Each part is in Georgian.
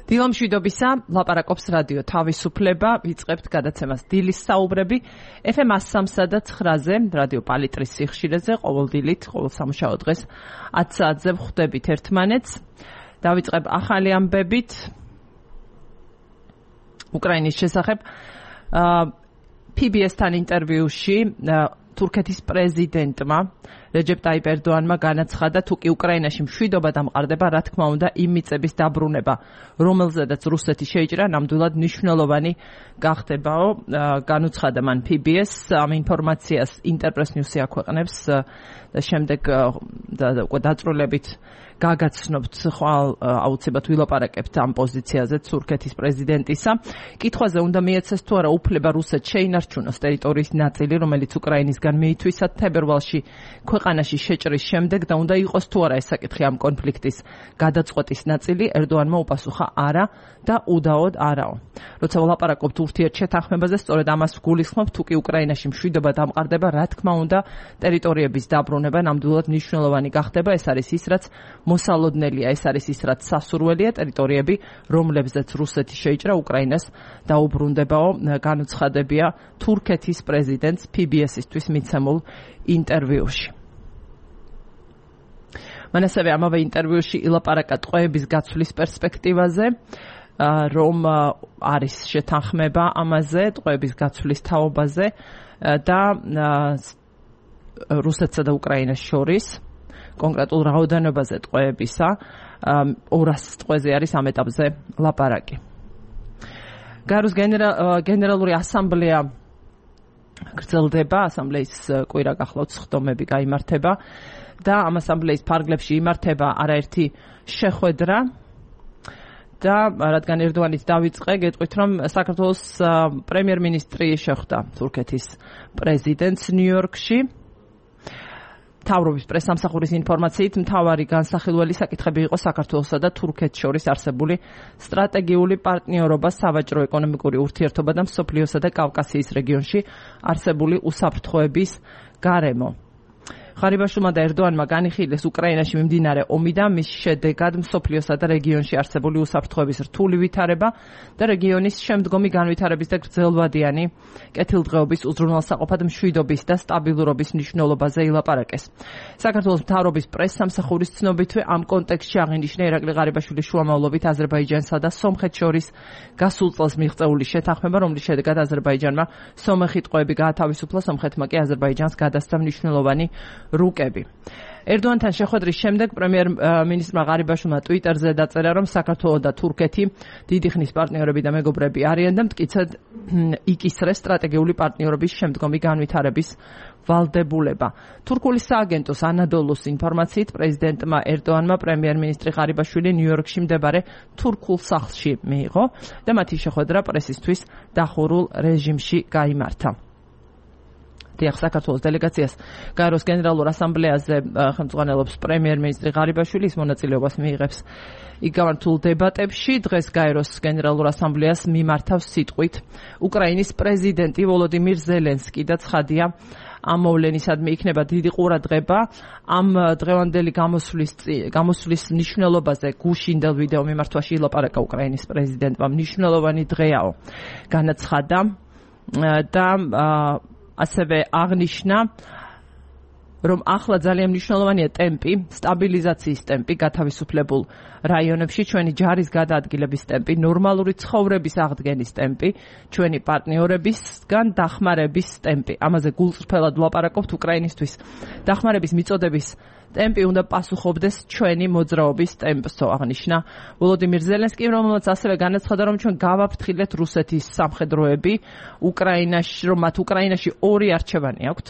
დილამშვიდობისა, ლაპარაკობს რადიო თავისუფლება, ვიწყებთ გადაცემას დილის საუბრები, FM 103 და 9-ზე, რადიო პალიტრის სიხშირეზე, ყოველ დილით, ყოველ სამუშაო დღეს 10 საათზე ვხვდებით ერთმანეთს. დავიწყებ ახალი ამბებით უკრაინის შესახებ. PBS-თან ინტერვიუში თურქეთის პრეზიდენტმა რეჯეპ ტაიპ ერდოანმა განაცხადა, თუ კი უკრაინაში მშვიდობა დამყარდება, რა თქმა უნდა, იმ მიწების დაბრუნება, რომელზედაც რუსეთი შეიჭრა, ნამდვილად მნიშვნელოვანი გახდებაო. განუცხადა მან PBS, ამ ინფორმაციას ინტერპრეს ნიუსი აქვეყნებს და შემდეგ დაწვრილებით გაგაცნობთ ხვალ აუცილებლად ვილაპარაკებთ ამ პოზიციაზე თურქეთის პრეზიდენტისა. კითხვაზე უნდა მიეცეს თუ არა უფლება რუსეთს შეინარჩუნოს ტერიტორიის ნაწილი, რომელიც უკრაინისგან მიითვისათ თებერვალში ქვეყანაში შეჭრის შემდეგ და უნდა იყოს თუ არა ეს საკითხი ამ კონფლიქტის გადაწყვეტის ნაწილი, ერდოანმა უპასუხა არა და უდაოდ არაო. როცა ვლაპარაკობთ ურთიერთშეთანხმებაზე, სწორედ ამას ვგულისხმობ, თუ კი უკრაინაში მშვიდობა დამყარდება, რა თქმა უნდა, ტერიტორიების დაბრუნება ნამდვილად მნიშვნელოვანი გახდება. ეს არის ის, რაც მოსალოდნელია, ეს არის ის, რაც სასურველია, ტერიტორიები, რომლებზეც რუსეთი შეიჭრა უკრაინას დაუბრუნდებაო, განუცხადებია თურქეთის პრეზიდენტს PBS-ისთვის მიცემულ ინტერვიუში. მან ასევე ამავე ინტერვიუში ილაპარაკა ტყვეების გაცვლის პერსპექტივაზე, რომ არის შეთანხმება ამაზე, ტყვეების გაცვლის თაობაზე და რუსეთსა და უკრაინას შორის კონკრეტულ რაოდენობაზე ტყვეებისა, 200 ტყვეზე არის ამ ეტაპზე ლაპარაკი. გაეროს გენერალური ასამბლეა გრძელდება, ასამბლეის კვირა გახლავთ, სხდომები გაიმართება და ამ ასამბლეის ფარგლებში იმართება არაერთი შეხვედრა და რადგან ერდოანით დავიწყე, გეტყვით, რომ საქართველოს პრემიერ-მინისტრი შეხვდა თურქეთის პრეზიდენტს ნიუ-იორკში. მთავრობის პრესსამსახურის ინფორმაციით, მთავარი განსახილველი საკითხები იყო საქართველოსა და თურქეთს შორის არსებული სტრატეგიული პარტნიორობა, სავაჭრო-ეკონომიკური ურთიერთობა და მსოფლიოსა და კავკასიის რეგიონში არსებული უსაფრთხოების გარემო. ღარიბაშვილმა და ერდოანმა განიხილეს უკრაინაში მიმდინარე ომი და მის შედეგად მსოფლიოსა და რეგიონში არსებული უსაფრთხოების რთული ვითარება და რეგიონის შემდგომი განვითარების და გრძელვადიანი კეთილდღეობის უზრუნველსაყოფად მშვიდობის და სტაბილურობის მნიშვნელობაზე ილაპარაკეს. საქართველოს მთავრობის პრესსამსახურის ცნობითვე ამ კონტექსტში აღინიშნა ირაკლი ღარიბაშვილის შუამავლობით აზერბაიჯანსა და სომხეთს შორის გასულ წელს მიღწეული შეთანხმება, რომლის შედეგად აზერბაიჯანმა სომეხი ტყვეები გაათავისუფლა, სომხეთმა კი აზერბაიჯანს გადასცა მნიშვნელოვანი რუკები. ერდოანთან შეხვედრის შემდეგ პრემიერ-მინისტრმა ღარიბაშვილმა ტვიტერზე დაწერა, რომ საქართველო და თურქეთი დიდი ხნის პარტნიორები და მეგობრები არიან და მტკიცედ იკისრეს სტრატეგიული პარტნიორობის შემდგომი განვითარების ვალდებულება. თურქული სააგენტოს ანადოლუს ინფორმაციით, პრეზიდენტმა ერდოანმა პრემიერ-მინისტრი ღარიბაშვილი ნიუ-იორკში მდებარე თურქულ სახლში მიიღო და მათი შეხვედრა პრესისთვის დახურულ რეჟიმში გაიმართა. საქართველოს დელეგაციას გაეროს გენერალურ ასამბლეაზე ხელმძღვანელობს პრემიერ-მინისტრი ღარიბაშვილი, ის მონაწილეობას მიიღებს იქ გამართულ დებატებში. დღეს გაეროს გენერალურ ასამბლეას მიმართავს სიტყვით უკრაინის პრეზიდენტი ვოლოდიმირ ზელენსკი და ცხადია, ამ მოვლენისადმი იქნება დიდი ყურადღება ამ დღევანდელი გამოსვლის მნიშვნელობაზე. გუშინდელ ვიდეო მიმართვაში ილაპარაკა უკრაინის პრეზიდენტმა, მნიშვნელოვანი დღეაო, განაცხადა და ასევე აღნიშნა, რომ ახლა ძალიან მნიშვნელოვანია ტემპი, სტაბილიზაციის ტემპი, გათავისუფლებულ რაიონებში, ჩვენი ჯარის გადაადგილების ტემპი, ნორმალური ცხოვრების აღდგენის ტემპი, ჩვენი პარტნიორებისგან დახმარების ტემპი. ამაზე გულწრფელად ვლაპარაკობთ უკრაინისთვის. დახმარების მიწოდების ტემპი უნდა პასუხობდეს ჩვენი მოძრაობის ტემპსო, აღნიშნა ვოლოდიმირ ზელენსკი, რომელმაც ასევე განაცხადა, რომ ჩვენ გავაფრთხილეთ რუსეთის სამხედროები უკრაინაში, რომ მათ უკრაინაში ორი არჩევანი აქვთ,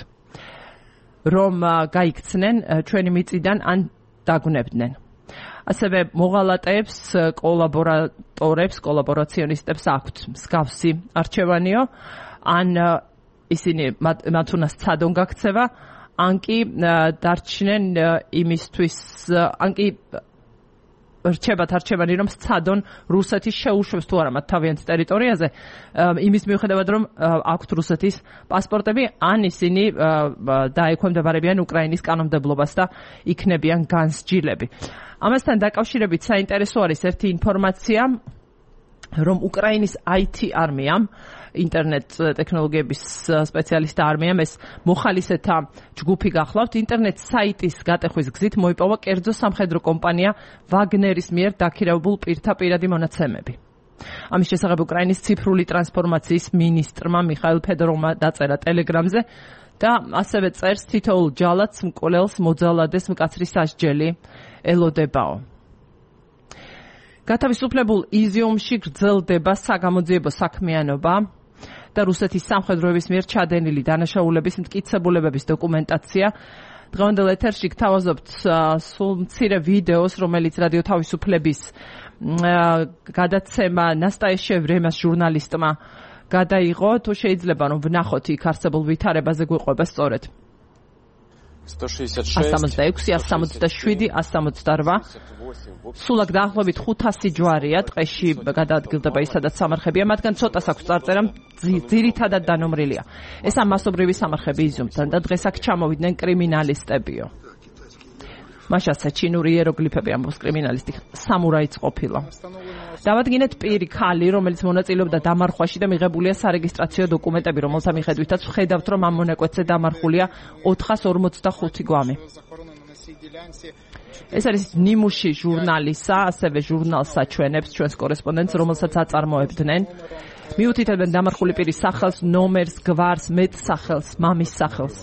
რომ გაიქცნენ ჩვენი მიწიდან ან დაგვნებდნენ. ასევე მოღალატეებს, კოლაბორატორებს, კოლაბორაციონისტებს აქვთ მსგავსი არჩევანიო, ან ისინი მათ უნდა სცადონ გაქცევა, ან კი დარჩნენ იმისთვის, ან კი რჩებათ არჩევანი, რომ სცადონ რუსეთის შეუშვებს თუ არა მათ თავიანთ ტერიტორიაზე, იმის მიუხედავად, რომ აქვთ რუსეთის პასპორტები, ან ისინი დაექვემდებარებიან უკრაინის კანონმდებლობას და იქნებიან განსჯილები. ამასთან დაკავშირებით საინტერესო არის ერთი ინფორმაცია, რომ უკრაინის IT არმიამ ინტერნეტ ტექნოლოგიების სპეციალისტთა არმიამ ეს მოხალისეთა ჯგუფი გახლავთ ინტერნეტ საიტის გატეხვის გზით მოიპოვა კერძო სამხედრო კომპანია ვაგნერის მიერ დაქირავებულ პირთა პირადი მონაცემები. ამის შესახებ უკრაინის ციფრული ტრანსფორმაციის მინისტრმა მიხაილ ფედოროვმა დაწერა ტელეგრამზე და ასევე წერს თითოეულ ჯალათს მკვლელს მოძალადეს მკაცრი სასჯელი ელოდებაო. გათავისუფლებულ იზიუმში გრძელდება საგამოძიებო საქმიანობა და რუსეთის სამხედროების მიერ ჩადენილი დანაშაულების მტკიცებულებების დოკუმენტაცია. დღევანდელ ეთერში გთავაზობთ სულ მცირე ვიდეოს, რომელიც რადიო თავისუფლების გადაცემა ნასტაია ვრემას ჟურნალისტმა გადაიღო. თუ შეიძლება რომ ვნახოთ იქ არსებულ ვითარებაზე გვიყვება სწორედ 166, 167, 168. სულად დაახლოებით 500 ჯვარია ტყეში გადაადგილდება ის, სადაც სამარხებია, მათგან ცოტას აქვს წარწერა, ძირითადად დანომრილია. ეს მასობრივი სამარხები იზიუმთან და დღეს აქ ჩამოვიდნენ კრიმინალისტებიო. მაშასა ჩინური იეროგლიფები ამბობს კრიმინალისტი სამურაიც ყოფილა. დავადგინეთ პირი ქალი, რომელიც მონაწილეობდა დამარხვაში და მიღებულია სარეგისტრაციო დოკუმენტები, რომელთა მიხედვითაც ვხედავთ, რომ ამ მონაკვეთზე დამარხულია 445 გვამი. ეს არის ნიმუში ჟურნალისა, ასევე ჟურნალს აჩვენებს ჩვენს კორესპონდენტს, რომელსაც აწარმოებდნენ. მიუთითებენ დამარხული პირის სახელს, ნომერს, გვარს, მეტსახელს, მამის სახელს.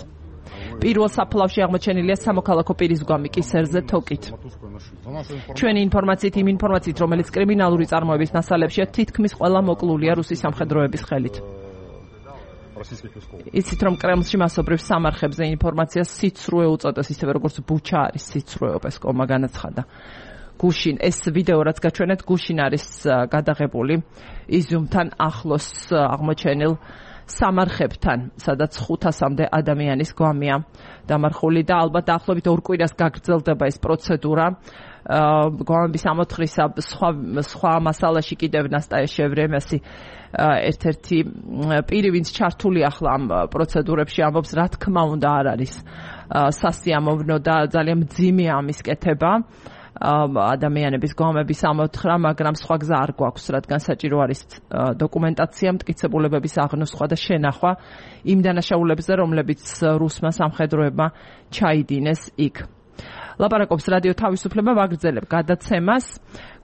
პირველ საფლავში აღმოჩენილია სამოქალაქო პირის გვამი კისერზე თოკით. ჩვენი ინფორმაციით, იმ ინფორმაციით, რომელიც კრიმინალური წარმოების მასალებშია, თითქმის ყველა მოკლულია რუსის სამხედროების ხელით. იცით რომ კრემლში მასობრივ სამარხებზე ინფორმაცია სიცრუე უწოდეს, ისევე როგორც ბუჩა არის სიცრუე, პესკოვმა განაცხადა. გუშინ ეს ვიდეო რაც გაჩვენეთ, გუშინ არის გადაღებული იზიუმთან ახლოს აღმოჩენილ სამარხებთან, სადაც 500-მდე ადამიანის გვამია დამარხული და ალბათ დაახლოებით 2 კვირას გაგრძელდება ეს პროცედურა. გვამების ამოთხრისა სხვა მასალაში კიდევ ნასტაია ვრემასი ერთ-ერთი პირი, ვინც ჩართული ახლა ამ პროცედურებში, ამბობს, რა თქმა უნდა არ არის სასიამოვნო და ძალიან მძიმეა ამის კეთება. ადამიანების გვამების ამოთხრა, მაგრამ სხვა გზა არ გვაქვს, რადგან საჭირო არის დოკუმენტაცია, მტკიცებულებების აღნოსხვა და შენახვა იმ დანაშაულებზე, რომლებიც რუსმა სამხედროებმა ჩაიდინეს იქ. ლაპარაკობს რადიო თავისუფლება ვაგრძელებ გადაცემას.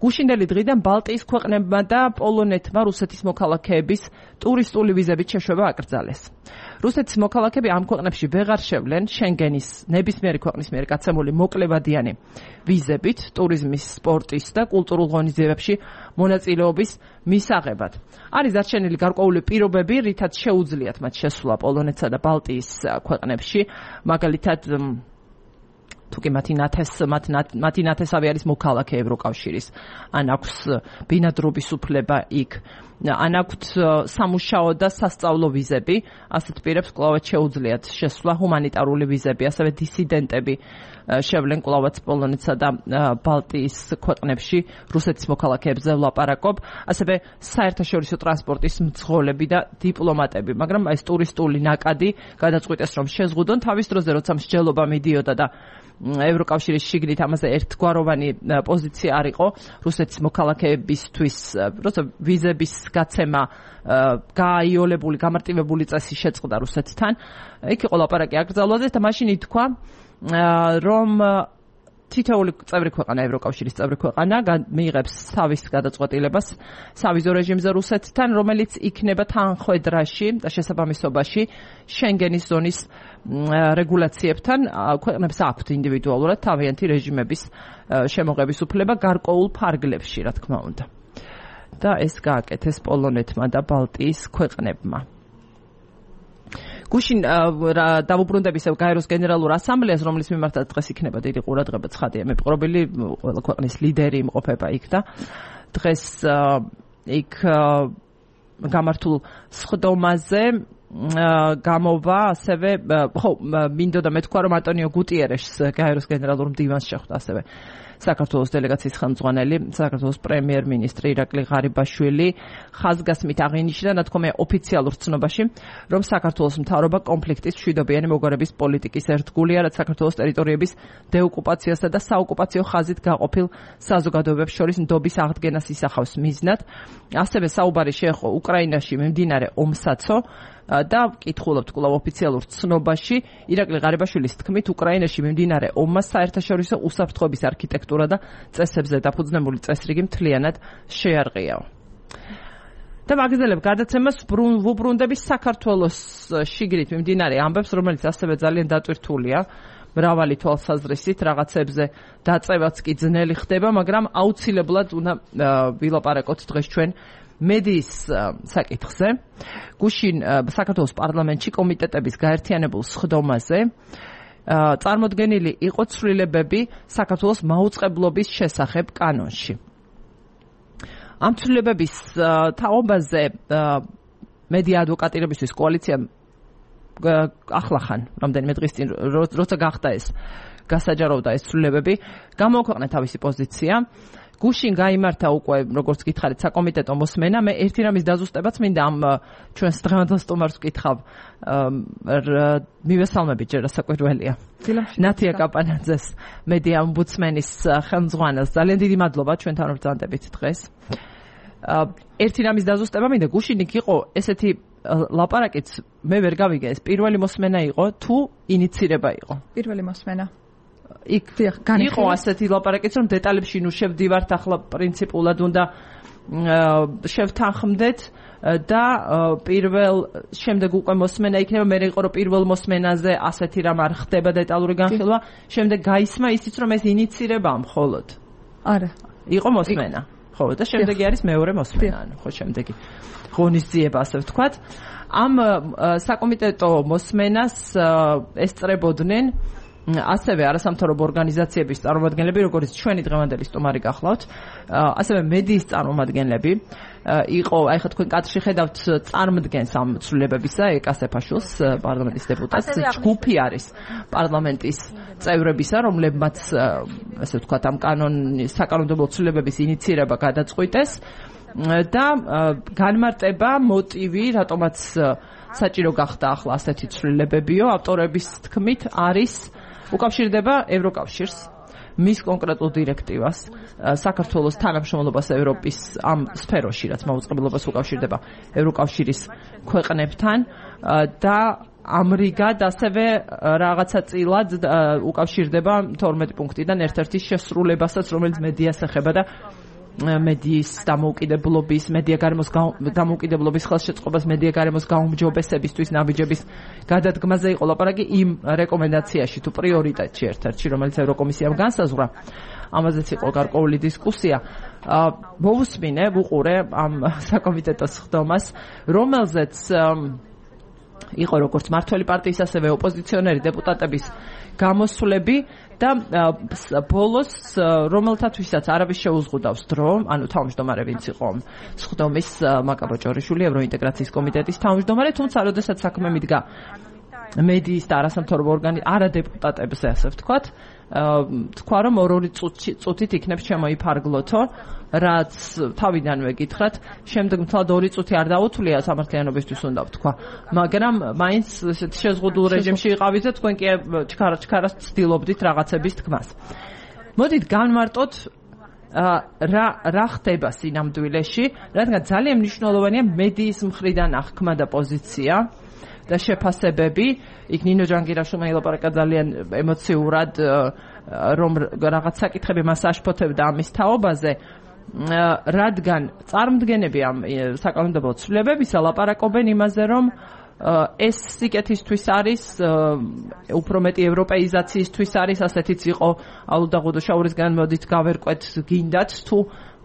გუშინდელი დღიდან ბალტიის ქვეყნებმა და პოლონეთმა რუსეთის მოქალაქეების ტურისტული ვიზებით შეშვება აკრძალეს. რუსეთის მოქალაქეები ამ ქვეყნებში ვეღარ შევლენ შენგენის ნებისმიერი ქვეყნის მიერ გაცემული მოკლევადიანი ვიზებით ტურიზმის, სპორტის და კულტურულ ღონისძიებებში მონაწილეობის მისაღებად. არის დარჩენილი გარკვეული პირობები, რითაც შეუძლიათ მათ შესვლა პოლონეთსა და ბალტიის ქვეყნებში, მაგალითად თუკი მათი ნათესავი არის მოქალაქე ევროკავშირის, ან აქვს ბინადრობის უფლება იქ, ან აქვთ სამუშაო და სასწავლო ვიზები, ასეთ პირებს კვლავაც შეუძლიათ შესვლა ჰუმანიტარული ვიზები, ასევე დისიდენტები შევლენ კვლავაც პოლონეთსა და ბალტიის ქვეყნებში რუსეთის მოქალაქეებზე ვლაპარაკობ, ასევე საერთაშორისო ტრანსპორტის მძღოლები და დიპლომატები, მაგრამ ეს ტურისტული ნაკადი გადაწყვიტეს რომ შეზღუდონ თავის დროზე, როცა მსჯელობა მიდიოდა და ევროკავშირის შიგნით ამაზე ერთგვაროვანი პოზიცია არ იყო რუსეთის მოქალაქეებისთვის, როცა ვიზების გაცემა გააიოლებული, გამარტივებული წესი შეწყდა რუსეთთან. იქ იყო ლაპარაკი აკრძალვაზე და მაშინ ითქვა, რომ თითოეული წევრი ქვეყანა, ევროკავშირის წევრი ქვეყანა მიიღებს თავის გადაწყვეტილებას სავიზო რეჟიმზე რუსეთთან, რომელიც იქნება თანხვედრაში და შესაბამისობაში შენგენის ზონის რეგულაციებთან. ქვეყნებს აქვთ ინდივიდუალურად თავიანთი რეჟიმების შემოღების უფლება გარკვეულ ფარგლებში, რა თქმა უნდა. და ეს გააკეთეს პოლონეთმა და ბალტიის ქვეყნებმა. გუშინ დავუბრუნდებ ისევ გაეროს გენერალურ ასამბლეას, რომლის მიმართაც დღეს იქნება დიდი ყურადღება, ცხადია, მეპყრობილი ყველა ქვეყნის ლიდერი იმყოფება იქ და დღეს იქ გამართულ სხდომაზე გამოვა ასევე მინდოდა მეთქვა, რომ ანტონიო გუტიერეშს გაეროს გენერალურ მდივანს შეხვდა ასევე საქართველოს დელეგაციის ხელმძღვანელი, საქართველოს პრემიერ-მინისტრი ირაკლი ღარიბაშვილი ხაზგასმით აღინიშნა, ნათქვამია ოფიციალურ ცნობაში, რომ საქართველოს მთავრობა კონფლიქტის მშვიდობიანი მოგვარების პოლიტიკის ერთგულია, რაც საქართველოს ტერიტორიების დეოკუპაციასა და საოკუპაციო ხაზით გაყოფილ საზოგადოებებს შორის ნდობის აღდგენას ისახავს მიზნად. ასევე საუბარი შეეხო უკრაინაში მიმდინარე ომსაცო და კითხულობთ კვლავ ოფიციალურ ცნობაში, ირაკლი ღარიბაშვილის თქმით, უკრაინაში მიმდინარე ომმა საერთაშორისო უსაფრთხოების არქიტექტურა და წესებზე დაფუძნებული წესრიგი მთლიანად შეარყია. და მაგზელებ გადაცემას ვუბრუნდების საქართველოს შიგრით მიმდინარე ამბებს, რომელიც ასევე ძალიან დატვირთულია. მრავალი თვალსაზრისით რაღაცებზე დაწევაც კი ძნელი ხდება, მაგრამ აუცილებლად უნდა ვილაპარაკოთ დღეს ჩვენ მედიის საკითხზე. გუშინ საქართველოს პარლამენტში კომიტეტების გაერთიანებულ სხდომაზე წარმოდგენილი იყო ცვლილებები საქართველოს მაუწყებლობის შესახებ კანონში. ამ ცვლილებების თაობაზე მედია ადვოკატირებისთვის კოალიცია ახლახან რამდენიმე დღის წინ როცა გახდა ეს გასაჯაროვდა ეს ცვლილებები, გამოაქვეყნა თავისი პოზიცია. გუშინ გაიმართა უკვე, როგორც გითხარით, საკომიტეტო მოსმენა. მე ერთი რამის დაზუსტებაც მინდა ამ ჩვენს დღევანდელ სტუმარს ვკითხავ. მივესალმებით ჯერ საკვირველია. ნათია კაპანაძეს, მედია ომბუდსმენის ხელმძღვანელს. ძალიან დიდი მადლობა ჩვენთან რომ ბრძანდებით დღეს. ერთი რამის დაზუსტება მინდა, გუშინ იქ იყო ესეთი ლაპარაკიც, მე ვერ გავიგე, ეს პირველი მოსმენა იყო თუ ინიცირება იყო? პირველი მოსმენა. იქ იყო ასეთი ლაპარაკიც, რომ დეტალებში ნუ შევდივართ, ახლა პრინციპულად უნდა შევთანხმდეთ და პირველ შემდეგ უკვე მოსმენა იქნება, მე იყო რომ პირველ მოსმენაზე ასეთი რამ არ ხდება დეტალური განხილვა, შემდეგ გაისმა ისიც რომ ეს ინიცირებაა მხოლოდ. არა. იყო მოსმენა. ხო, და შემდეგი არის მეორე მოსმენა, ხო, შემდეგი ღონისძიება, ასე ვთქვათ. ამ საკომიტეტო მოსმენას ესწრებოდნენ ასევე არასამთავრობო ორგანიზაციების წარმომადგენლები, როგორც ჩვენი დღევანდელი სტუმარი გახლავთ, ასევე მედიის წარმომადგენლები. იყო, აი ხა თქვენ კადრში ხედავთ წარმოადგენს ამ ცვლილებებისა ეკასეფაშვილს, პარლამენტის დეპუტატს, ჯგუფი არის პარლამენტის წევრებისა, რომლებმაც ასე ვთქვათ ამ საკანონმდებლო ცვლილებების ინიცირება გადაწყვიტეს და განმარტება, მოტივი, რატომაც საჭირო გახდა ახლა ასეთი ცვლილებებიო, ავტორების თქმით არის უკავშირდება ევროკავშირს, მის კონკრეტულ დირექტივას, საქართველოს თანამშრომლობას ევროპის ამ სფეროში, რაც მაუწყებლობას უკავშირდება ევროკავშირის ქვეყნებთან და ამრიგად ასევე რაღაცა წილად უკავშირდება 12 პუნქტიდან ერთ-ერთი შესრულებასაც, რომელიც მედიას ეხება და მედიის დამოუკიდებლობის, მედია გარემოს დამოუკიდებლობის ხელშეწყობას, მედია გარემოს გაუმჯობესებისთვის ნაბიჯების გადადგმაზე იყო ლაპარაკი იმ რეკომენდაციაში თუ პრიორიტეტში ერთ-ერთში, რომელიც ევროკომისიამ განსაზღვრა. ამაზეც იყო გარკვეული დისკუსია. მოვუსმინე, ვუყურე ამ საკომიტეტო სხდომას, რომელზეც იყო როგორც მართველი პარტიის, ასევე ოპოზიციონერი დეპუტატების გამოსვლები და ბოლოს რომელთათვისაც არავის შეუზღუდავს დრო, ანუ თავმჯდომარე ვინც იყო სხდომის მაკაბო ჭორიშვილი, ევროინტეგრაციის კომიტეტის თავმჯდომარე, თუმცა როდესაც საქმე მიდგა მედიის და არასამთავრობო არა დეპუტატებზე, ასე ვთქვათ, თქვა რომ ორ-ორი წუთით იქნებ შემოიფარგლოთო, რაც თავიდანვე გითხრათ, შემდეგ მთლად 2 წუთი არ დაუთვლია სამართლიანობისთვის უნდა ვთქვა, მაგრამ მაინც შეზღუდულ რეჟიმში იყავით და თქვენ კი ჩქარას ცდილობდით რაღაცების თქმას. მოდით განმარტოთ რა ხდება სინამდვილეში, რადგან ძალიან მნიშვნელოვანია მედიის მხრიდან აღქმა და პოზიცია და შეფასებები. იქ ნინო ჯანგირაშვილმა ილაპარაკა ძალიან ემოციურად, რომ რაღაც საკითხები მას აშფოთებდა ამის თაობაზე, რადგან წარმოდგენები ამ საკანონმდებლო ცვლილებებისა ლაპარაკობენ იმაზე, რომ ეს სიკეთისთვის არის, უფრო მეტი ევროპეიზაციისთვის არის, ასეთიც იყო ალუდა ღუდოშაურისგან მოდით გავერკვეთ, გინდათ თუ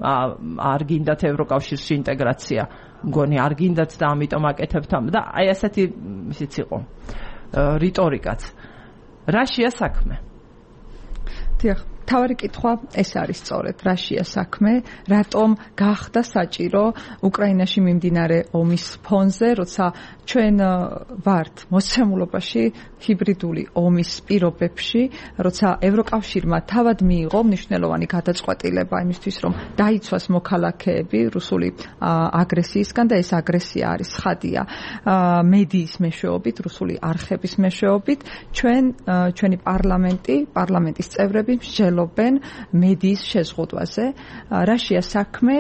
არ გინდათ ევროკავშირში ინტეგრაცია. მგონი არ გინდათ და ამიტომ აკეთებთ და აი ასეთი ისიც იყო რიტორიკაც. რაშია საქმე? დიახ, თავარი კითხვა ეს არის სწორედ რაშია საქმე, რატომ გახდა საჭირო უკრაინაში მიმდინარე ომის ფონზე, როცა ჩვენ ვართ მოცემულობაში ჰიბრიდული ომის პირობებში, როცა ევროკავშირმა თავად მიიღო მნიშვნელოვანი გადაწყვეტილება იმისთვის, რომ დაიცვას მოქალაქეები რუსული აგრესიისგან და ეს აგრესია არის ცხადია მედიის მეშვეობით, რუსული არხების მეშვეობით, ჩვენი პარლამენტის წევრები მსჯელობენ მედიის შეზღუდვაზე. რაშია საქმე,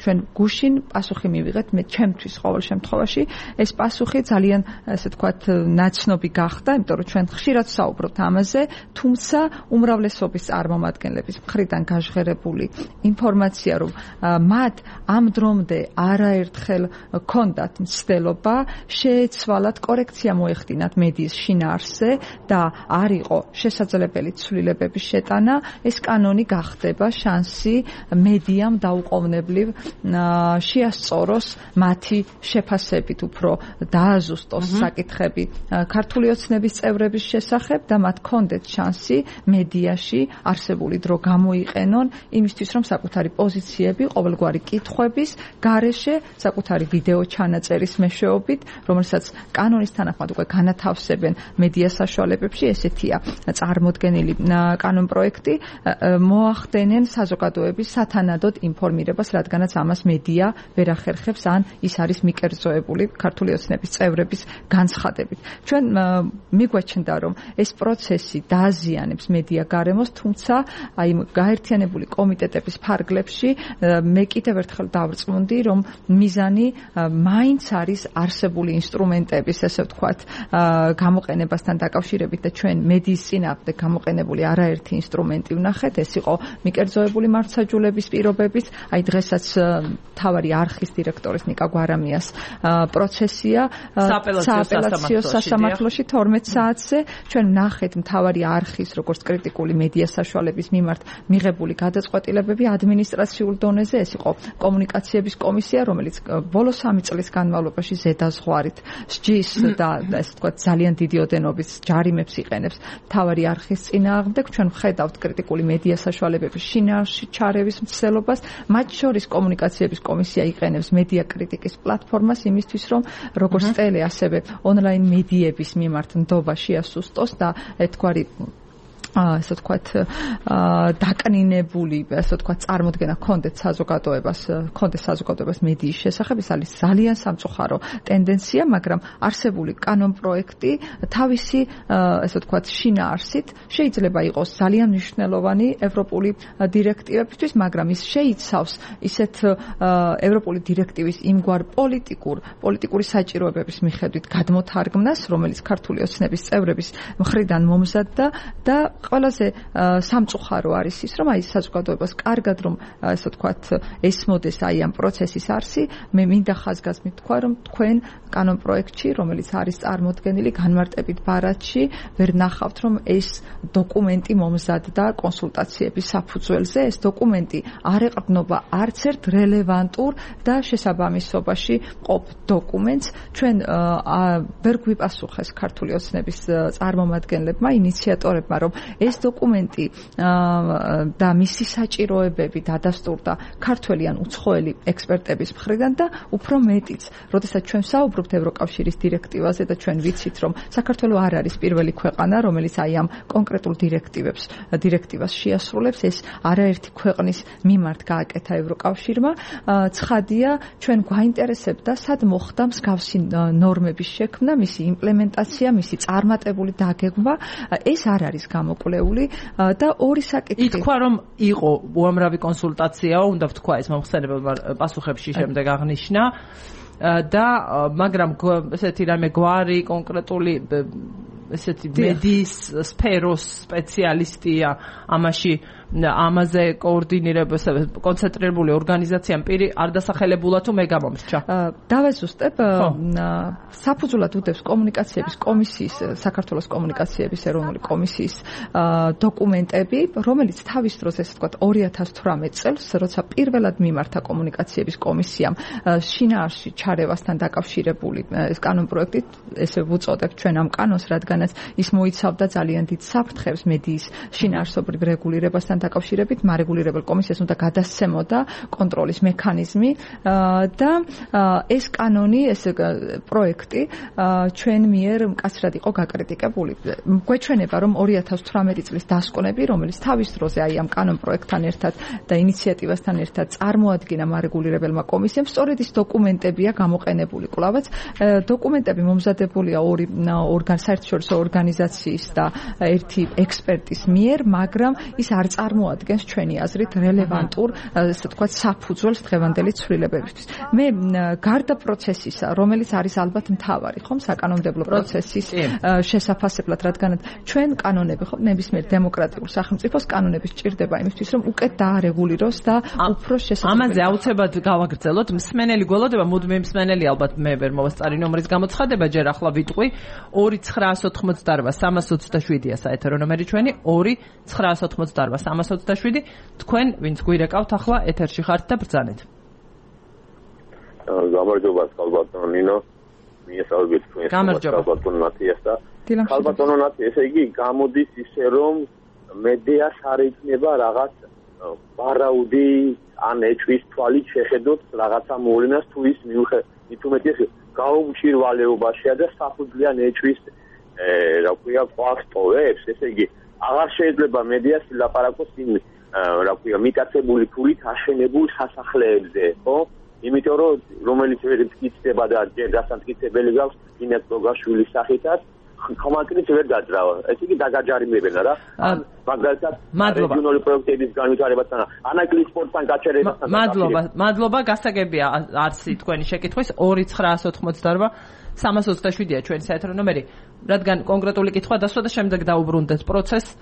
ჩვენ გუშინ პასუხი მივიღეთ, მე ჩემთვის ყოველ შემთხვევაში ეს პასუხი ძალიან ესე ვთქვათ ნაცნობი გახდა, იმიტომ რომ ჩვენ ხშირად საუბრობთ ამაზე, თუმცა უმრავლესობის წარმომადგენლების მხრიდან გაჟღერებული ინფორმაცია, რომ მათ ამ დრომდე არაერთხელ ჰქონდათ მცდელობა შეეცვალათ, კორექცია მოეხდინათ მედიის შინაარსზე და არ იყო შესაძლებელი ცვლილებების შეტანა, ეს კანონი გახდება შანსი მედიამ დაუყოვნებლივ შეასწოროს მათი შეფასებით უფრო დააზუსტოს საკითხები ქართული ოცნების წევრების შესახებ და მათ ჰქონდეთ შანსი მედიაში არსებული დრო გამოიყენონ იმისთვის, რომ საკუთარი პოზიციები ყოველგვარი კითხვების გარეშე საკუთარი ვიდეო ჩანაწერის მეშვეობით, რომელსაც კანონის თანახმად უკვე განათავსებენ მედია საშუალებებში, ესეთია წარმოდგენილი კანონპროექტი, მოახდენენ საზოგადოების სათანადოდ ინფორმირებას, რადგანაც ამას მედია ვერ ახერხებს, ან ის არის მიკერძოებული ქართული ოცნების წევრების განცხადებით. ჩვენ მიგვაჩნდა, რომ ეს პროცესი დააზიანებს მედია გარემოს, თუმცა აი გაერთიანებული კომიტეტების ფარგლებში მე კიდევ ერთხელ დავწმუნდი, რომ მიზანი მაინც არის არსებული ინსტრუმენტების, ესე ვთქვათ, გამოყენებასთან დაკავშირებით და ჩვენ მედიის წინააღმდეგ გამოყენებული არაერთი ინსტრუმენტი ვნახეთ, ეს იყო მიკერძოებული მართლმსაჯულების პირობებით, აი დღესაც მთავარი არხის დირექტორის ნიკა გვარამიას პროცესია სააპელაციო სასამართლოში 12 საათზე, ჩვენ ვნახეთ მთავარი არხის, როგორც კრიტიკული მედია საშუალების მიმართ მიღებული გადაწყვეტილებები ადმინისტრაციულ დონეზე, ეს იყო კომუნიკაციების კომისია, რომელიც ბოლო 3 წლის განმავლობაში ზედაზღვარით სჯის და ესე ვთქვათ ძალიან დიდი ოდენობის ჯარიმებს იყენებს მთავარი არხის წინააღმდეგ. ჩვენ ვხედავთ კრიტიკული მედია საშუალებების შინაარსში ჩარევის მცდელობას, მათ შორის კომუნიკაციების კომისია იყენებს მედია კრიტიკის პლატფორმას იმისთვის, რომ როგორც ტელე, ასევე ონლაინ მედიების მიმართ ნდობა შეასუსტოს და ერთგვარი ასე ვთქვათ დაკნინებული, ასე ვთქვათ წარმოდგენა ჰქონდეთ საზოგადოებას მედიის შესახებ, ეს არის ძალიან სამწუხარო ტენდენცია, მაგრამ არსებული კანონპროექტი თავისი ასე ვთქვათ შინაარსით შეიძლება იყოს ძალიან მნიშვნელოვანი ევროპული დირექტივებისთვის, მაგრამ ის შეიცავს ისეთ ევროპული დირექტივის იმგვარ პოლიტიკური საჭიროებების მიხედვით გადმოთარგმნას, რომელიც ქართული ოცნების წევრების მხრიდან მომზადდა და ყველაზე სამწუხარო არის ის, რომ აი საზოგადოებას კარგად რომ ასე ვთქვათ ესმოდეს აი ამ პროცესის არსი, მე მინდა ხაზგასმით თქვა, რომ თქვენ კანონპროექტში, რომელიც არის წარმოდგენილი განმარტებით ბარათში, ვერ ნახავთ, რომ ეს დოკუმენტი მომზადდა კონსულტაციების საფუძველზე, ეს დოკუმენტი არ ეყრდნობა არც ერთ რელევანტურ და შესაბამისობაში მყოფ დოკუმენტს. ჩვენ ვერ გვიპასუხეს ქართული ოცნების წარმომადგენლებმა, ინიციატორებმა, რომ ეს დოკუმენტი და მისი საჭიროებები დადასტურდა ქართველი ან უცხოელი ექსპერტების მხრიდან და უფრო მეტიც, როდესაც ჩვენ საუბრობთ ევროკავშირის დირექტივაზე და ჩვენ ვიცით, რომ საქართველო არ არის პირველი ქვეყანა, რომელიც აი ამ კონკრეტულ დირექტივას შეასრულებს, ეს არაერთი ქვეყნის მიმართ გააკეთა ევროკავშირმა. ცხადია, ჩვენ გვაინტერესებდა, სად მოხდა მსგავსი ნორმების შექმნა, მისი იმპლემენტაცია, მისი წარმატებული დაგეგმვა, ეს არ არის გამოკვლეული და ორი საკითხი. ითქვა, რომ იყო უამრავი კონსულტაციაო, უნდა ვთქვა ეს მომხსენებელმა პასუხებში შემდეგ აღნიშნა და მაგრამ ესეთი რამე გვარი კონკრეტული ესეთი მედიის სფეროს სპეციალისტია ამაში ამაზე კოორდინირებას კონცენტრირებული ორგანიზაციამ პირი არ დასახელებულა თუ მე გამომრჩა. დავეზუსტებ საფუძვლად უდევს კომუნიკაციების კომისიის საქართველოს კომუნიკაციების ეროვნული კომისიის დოკუმენტები, რომელიც თავის დროს ესე ვთქვათ 2018 წელს, როცა პირველად მიმართა კომუნიკაციების კომისიამ შინაარსში ჩარევასთან დაკავშირებული ეს კანონპროექტი, ესე ვუწოდებ ჩვენ ამ კანონს, რადგანაც ის მოიცავდა ძალიან დიდ საფრთხებს მედიის შინაარსობრივ რეგულირებასთან დაკავშირებით, მარეგულირებელ კომისიას უნდა გადასცემოდა კონტროლის მექანიზმი და ეს კანონი, ეს პროექტი ჩვენ მიერ მკაცრად იყო გაკრიტიკებული. გვეჩვენება, რომ 2018 წლის დასკვნები, რომელიც თავის დროზე აი ამ კანონპროექტთან ერთად და ინიციატივასთან ერთად წარმოადგინა მარეგულირებელმა კომისიამ, სწორედ ის დოკუმენტებია გამოყენებული. კვლავაც დოკუმენტები მომზადებულია ორი საერთაშორისო ორგანიზაციის და ერთი ექსპერტის მიერ, მაგრამ ის არ წარმოადგენს ჩვენი აზრით რელევანტურ, ასე ვთქვათ, საფუძველს დღევანდელი ცვლილებებისთვის. მე გარდა პროცესისა, რომელიც არის ალბათ მთავარი, ხომ, საკანონმდებლო პროცესის შესაფასებლად, რადგან ჩვენ კანონები, ხო, ნებისმიერ დემოკრატიულ სახელმწიფოს კანონები სჭირდება იმისთვის, რომ უკეთ დაარეგულიროს და უფრო შესაძლებელი. ამაზე აუცილებლად გავაგრძელოთ. მსმენელი გველოდება, მუდმივი მსმენელი ალბათ მე ვერ მოვასწარი ნომრის გამოცხადება, ჯერ ახლა ვიტყვი 2988327-ია საეთერო ნომერი ჩვენი 2988327. თქვენ ვინც გვირეკავთ ახლა ეთერში ხართ და ბრძანეთ. გამარჯობა ხალბატონო ნინო, მიესალმებით თქვენს ხალბატონო ნათიას და ხალბატონო ნათი, ესე იგი გამოდის ისე რომ მედიას არ იქნება რაღაც ვარაუდი ან ეჭვის თვალით შეხედოთ რაღაცა მოვლენას თუ ის მით უმეტეს გაუმჭირვალეობაშია და საფუძვლიან ეჭვის რა ქვია ყვავს ტოვებს, ესე იგი აღარ შეიძლება მედიას ლაპარაკოს იმ რა ქვია მიტაცებული ფულით აშენებულ სასახლეებზე, ხო? იმიტომ რომ რომელიც ვერ მტკიცდება და ჯერ გასამტკიცებელი გავს ინეთ გოგაშვილის სახითაც ხომაკრით ვერ დაძრავა. ესე იგი დაგაჯარიმებენ რა. მაგალითად რეგიონული პროექტების განვითარებასთან, ანაკლის სპორტთან გაჩერებასთან. მადლობა, გასაგებია არსი თქვენი შეკითხვის 2988327-ია ჩვენი საერთო ნომერი, რადგან კონკრეტული კითხვა დასვა და შემდეგ დაუბრუნდეთ პროცესს.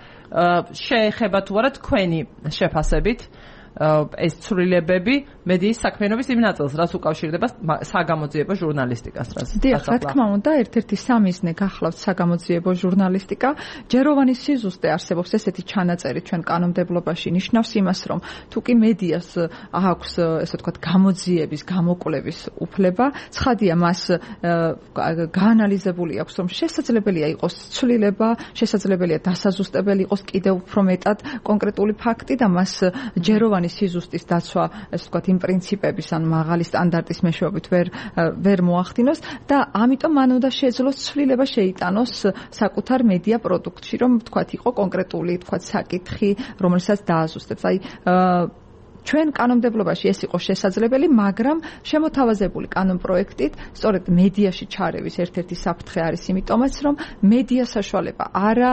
შეეხება თუ არა თქვენი შეფასებით ეს ცვლილებები მედიის საქმიანობის იმ ნაწილს, რაც უკავშირდება საგამოძიებო ჟურნალისტიკას, რაც დიახ, რა თქმა უნდა, ერთ-ერთი სამიზნე გახლავთ საგამოძიებო ჟურნალისტიკა. ჯეროვანი სიზუსტე არსებობს ესეთი ჩანაწერი ჩვენ კანონმდებლობაში, ნიშნავს იმას, რომ თუ კი მედიას აქვს, ესე ვთქვათ, გამოძიების, გამოკვლევის უფლება, ცხადია მას გაანალიზებული აქვს, რომ შესაძლებელია იყოს ცვლილება, შესაძლებელია დასაზუსტებელი იყოს კიდევ უფრო მეტად კონკრეტული ფაქტი და მას ჯეროვანი სიზუსტის დაცვა, ესე ვთქვათ, იმ პრინციპების ან მაღალი სტანდარტის მეშვეობით ვერ მოახდინოს და ამიტომ მან უნდა შეძლოს ცვლილება შეიტანოს საკუთარ მედია პროდუქტში, რომ ვთქვათ, იყო კონკრეტული, ვთქვათ, საკითხი, რომელსაც დააზუსტებს. აი ჩვენ კანონმდებლობაში ეს იყო შესაძლებელი, მაგრამ შემოთავაზებული კანონპროექტით სწორედ მედიაში ჩარევის ერთ-ერთი საფრთხე არის იმიტომაც, რომ მედია საშუალება არა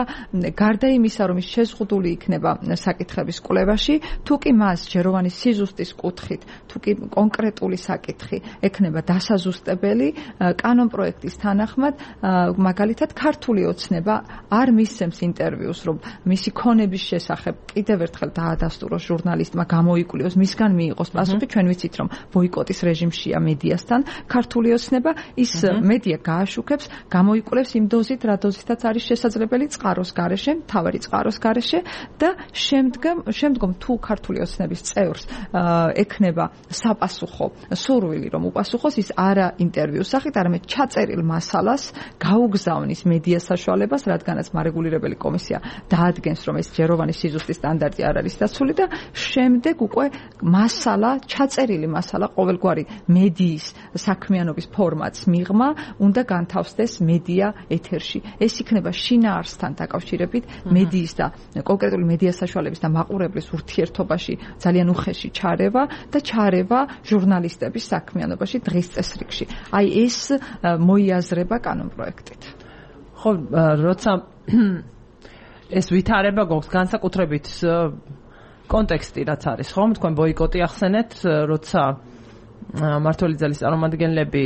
გარდა იმისა, რომ ის შეზღუდული იქნება საკითხების კვლევაში, თუ კი მას ჯეროვანი სიზუსტის კუთხით, თუ კი კონკრეტული საკითხი ექნება დასაზუსტებელი, კანონპროექტის თანახმად, მაგალითად, ქართული ოცნება არ მისცემს ინტერვიუს, რომ მისი ქონების შესახებ კიდევ ერთხელ დაადასტუროს ჟურნალისტმა გამოიკვლიოს, მისგან მიიღოს პასუხი. ჩვენ ვიცით, რომ ბოიკოტის რეჟიმშია მედიასთან ქართული ოცნება, ის მედია გააშუქებს, გამოიკვლევს იმ დოზით, რა დოზითაც არის შესაძლებელი წყაროს გარეშე, მთავარი წყაროს გარეშე და შემდგომ თუ ქართული ოცნების წევრს ექნება საპასუხო სურვილი, რომ უპასუხოს, ის არა ინტერვიუს სახით, არამედ ჩაწერილ მასალას გაუგზავნის მედია საშუალებას, რადგანაც მარეგულირებელი კომისია დაადგენს, რომ ეს ჯეროვანი სიზუსტის სტანდარტი არ არის დაცული და შემდეგ უკვე მასალა, ჩაწერილი მასალა, ყოველგვარი მედიის საქმიანობის ფორმატს მიღმა უნდა განთავსდეს მედია ეთერში. ეს იქნება შინაარსთან დაკავშირებით მედიის და კონკრეტული მედია საშუალების და მაყურებლის ურთიერთობაში ძალიან უხეში ჩარევა და ჩარევა ჟურნალისტების საქმიანობაში დღის წესრიგში. აი ეს მოიაზრება კანონპროექტით. ხო, როცა ეს ვითარება გვაქვს განსაკუთრებით კონტექსტი რაც არის, ხომ? თქვენ ბოიკოტი ახსენეთ, როცა მმართველი ძალის წარმომადგენლები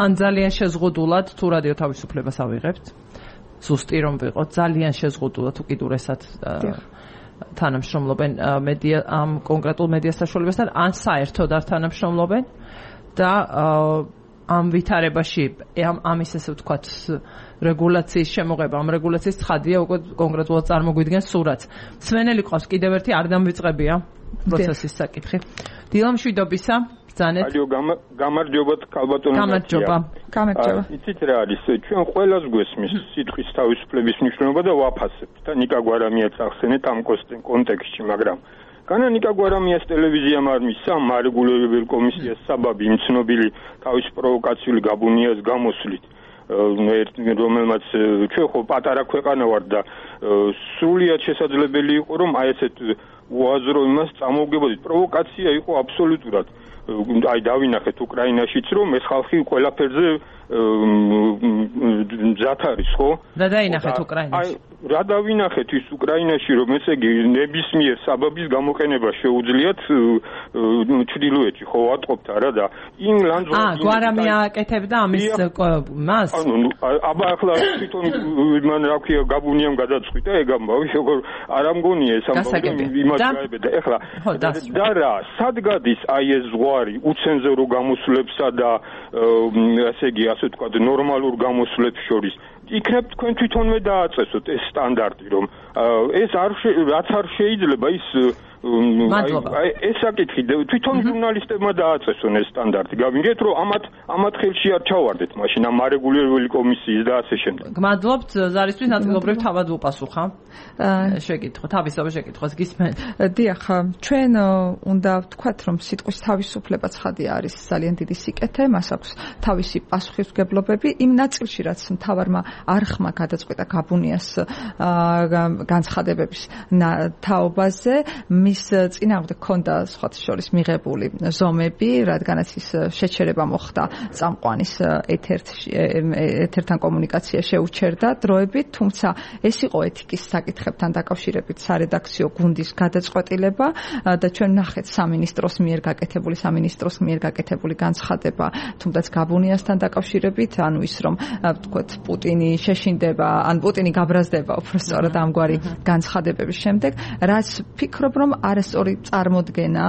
ან ძალიან შეზღუდულად თუ რადიო თავისუფლებას ავიღებთ, ზუსტი რომ ვიყოთ, ძალიან შეზღუდულად უკიდურესად თანამშრომლობენ ამ კონკრეტულ მედია საშუალებასთან ან საერთოდ არ თანამშრომლობენ და ამ ვითარებაში ამის ესე ვთქვათ რეგულაციის შემოღება ამ რეგულაციის ცხადია უკვე კონკრეტულად წარმოგვიდგენს სურათს. მსმენელი ყავს კიდევ ერთი არ დამვიწყებია პროცესის საკითხი. დილა მშვიდობისა ბრძანეთ. ალიო გამარჯობათ ქალბატონო. გამარჯობა. იცით რა არის ჩვენ ყველას გვესმის სიტყვის თავისუფლების მნიშვნელობა და ვაფასებთ და ნიკა გვარამიაც ახსენეთ ამ კონტექსტში მაგრამ განა ნიკა გვარამიას ტელევიზიამ არ მისცა მარეგულირებელ კომისიას საბაბი იმ ცნობილი თავის პროვოკაციული გაბუნიას გამოსვლით რომელმაც ჩვენ ხო პატარა ქვეყანა ვართ და სრულიად შესაძლებელი იყო რომ აი ესეთ უაზრო იმას წამოვგებოდით პროვოკაცია იყო აბსოლუტურად აი დავინახეთ უკრაინაშიც რომ ეს ხალხი ყველაფერზე მზად არის ხო? და დაინახეთ უკრაინაში. რა დავინახეთ ის უკრაინაში რომ ესე იგი ნებისმიერ საბაბის გამოყენება შეუძლიათ ჩრდილოეთში ხო ვატყობთ არა და იმ ლანდზონს გვარამია აკეთებდა ამის მას? აბა ახლა თვითონ მან რა ქვია გაბუნიამ გადაწყვიტა ეგ ამბავი როგორ არ ამგონია ეს ამბავი იმას გაებედა ეხლა და რა სად გადის აი ეს ზღვარი უცენზურო გამოსვლებსა და ასე იგი ასე ვთქვათ ნორმალურ გამოსვლებს შორის იქნებ თქვენ თვითონვე დააწესოთ ეს სტანდარტი რომ ეს რაც არ შეიძლება ის ეს საკითხი თვითონ ჟურნალისტებმა დააწესონ ეს სტანდარტი გავიგეთ რომ ამათ ხელში არ ჩავარდეთ მაშინ ამ არეგულირებული კომისიის და ასე შემდეგ გმადლობთ ზარისთვის ნაწილობრივ თავად უპასუხა შეკითხვა თავისთავად შეკითხვას გისმენთ დიახ ჩვენ უნდა ვთქვათ რომ სიტყვის თავისუფლება ცხადია არის ძალიან დიდი სიკეთე მას აქვს თავისი პასუხისმგებლობები იმ ნაწილში რაც მთავარმა არხმა გადაწყვეტა გაბუნიას განცხადებების თაობაზე მის წინააღმდეგ ქონდა სხვათა შორის მიღებული ზომები, რადგანაც ის შეჩერება მოხდა წამყვანის ეთერთან კომუნიკაცია შეუჩერდა დროებით, თუმცა ეს იყო ეთიკის საკითხებთან დაკავშირებით სარედაქციო გუნდის გადაწყვეტილება და ჩვენ ნახეთ სამინისტროს მიერ გაკეთებული განცხადება, თუნდაც გაბუნიასთან დაკავშირებით, ანუ ის რომ ვთქვათ პუტინი შეშინდება, ან პუტინი გაბრაზდება უბრალოდ ამგვარი განცხადებების შემდეგ, რაც ფიქრობ რომ არასწორი წარმოდგენა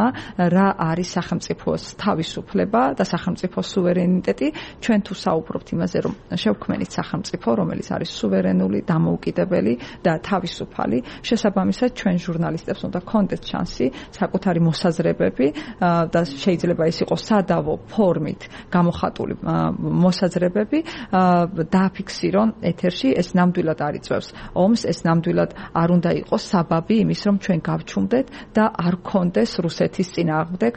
რა არის სახელმწიფოს თავისუფლება და სახელმწიფოს სუვერენიტეტი ჩვენ თუ საუბრობთ იმაზე რომ შევქმნით სახელმწიფო რომელიც არის სუვერენული დამოუკიდებელი და თავისუფალი შესაბამისად ჩვენ ჟურნალისტებს უნდა გქონდეთ შანსი საკუთარი მოსაზრებები და შეიძლება ეს იყოს სადავო ფორმით გამოხატული მოსაზრებები დააფიქსირონ ეთერში ეს ნამდვილად არ იწევს ომს ეს ნამდვილად არ უნდა იყოს საბაბი იმის რომ ჩვენ გავჩუმდეთ და არ გქონდეს რუსეთის წინააღმდეგ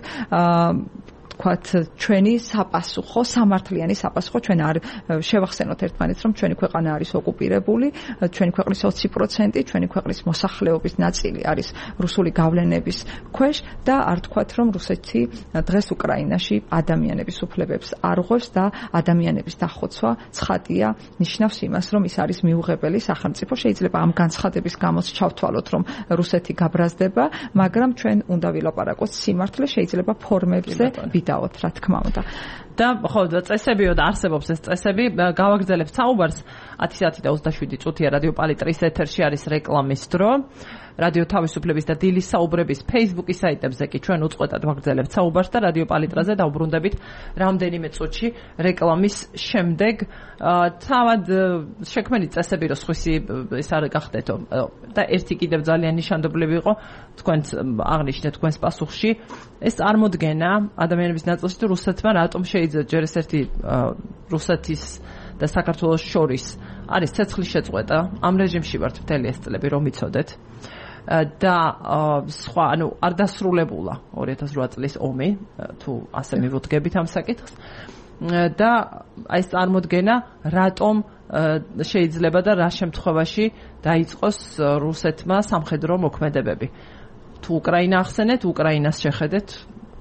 ვთქვათ ჩვენი საპასუხო სამართლიანი საპასუხო ჩვენ არ შევახსენოთ ერთმანეთს რომ ჩვენი ქვეყანა არის ოკუპირებული ჩვენი ქვეყნის 20% ჩვენი ქვეყნის მოსახლეობის ნაწილი არის რუსული გავლენების ქვეშ და არ ვთქვათ რომ რუსეთი დღეს უკრაინაში ადამიანების უფლებებს არ ღვევს და ადამიანების დახოცვა ცხადია ნიშნავს იმას რომ ის არის მიუღებელი სახელმწიფო შეიძლება ამ განცხადების გამოც ჩავთვალოთ რომ რუსეთი გაბრაზდება მაგრამ ჩვენ უნდა ვილაპარაკოთ სიმართლე შეიძლება ფორმებზე დავოთ რა თქმა უნდა და ხო წესებიო და არსებობს ეს წესები გავაგრძელებთ საუბარს 10:27 წუთია რადიო პალიტრის ეთერში არის რეკლამის დრო რადიო თავისუფლების და დილის საუბრების Facebook-ის საიტებზე კი ჩვენ უწყვეტად ვაგრძელებთ საუბარს და რადიო პალიტრაზე დავუბრუნდებით რამდენიმე წუთში რეკლამის შემდეგ თავად შექმნით წესები რომ სხვისი ეს არ გახდეთო და ერთი კიდევ ძალიან ნიშანდობლივი იყო თქვენც აღნიშნეთ თქვენს პასუხში ეს წარმოდგენა ადამიანების ნაწილში თუ რუსეთმა რატომ შეიძლება ჯერ ეს ერთი რუსეთის და საქართველოს შორის არის ცეცხლის შეწყვეტა ამ რეჟიმში ვართ მთელი ეს წლები რომ იცოდეთ და სხვა ანუ არ დასრულებულა 2008 წლის ომი თუ ასე მივუდგებით ამ საკითხს და აი ეს წარმოდგენა რატომ შეიძლება და რა შემთხვევაში დაიწყოს რუსეთმა სამხედრო მოქმედებები თუ უკრაინა ახსენეთ უკრაინას შეხედეთ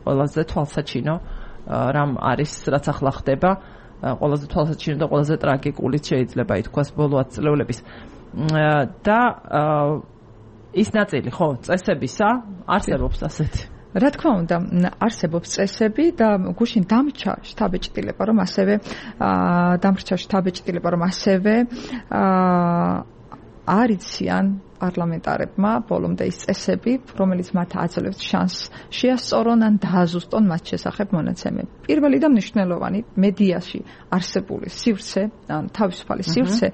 ყველაზე თვალსაჩინო რამ არის რაც ახლა ხდება ყველაზე თვალსაჩინო და ყველაზე ტრაგიკული შეიძლება ითქვას ბოლო ათწლეულების და ის ნაწილი ხო წესებისა არსებობს ასეთი რა თქმა უნდა არსებობს წესები და გუშინ დამრჩა შტაბ-ჭრილება რომ ასევე არიციან პარლამენტარებმა ბოლომდე ის წესები, რომელიც მათ აძლევს შანსს შეასწორონ ან დააზუსტონ მათ შესახებ მონაცემები. პირველი და მნიშვნელოვანი მედიაში არსებული სივრცე, ან თავისუფალი სივრცე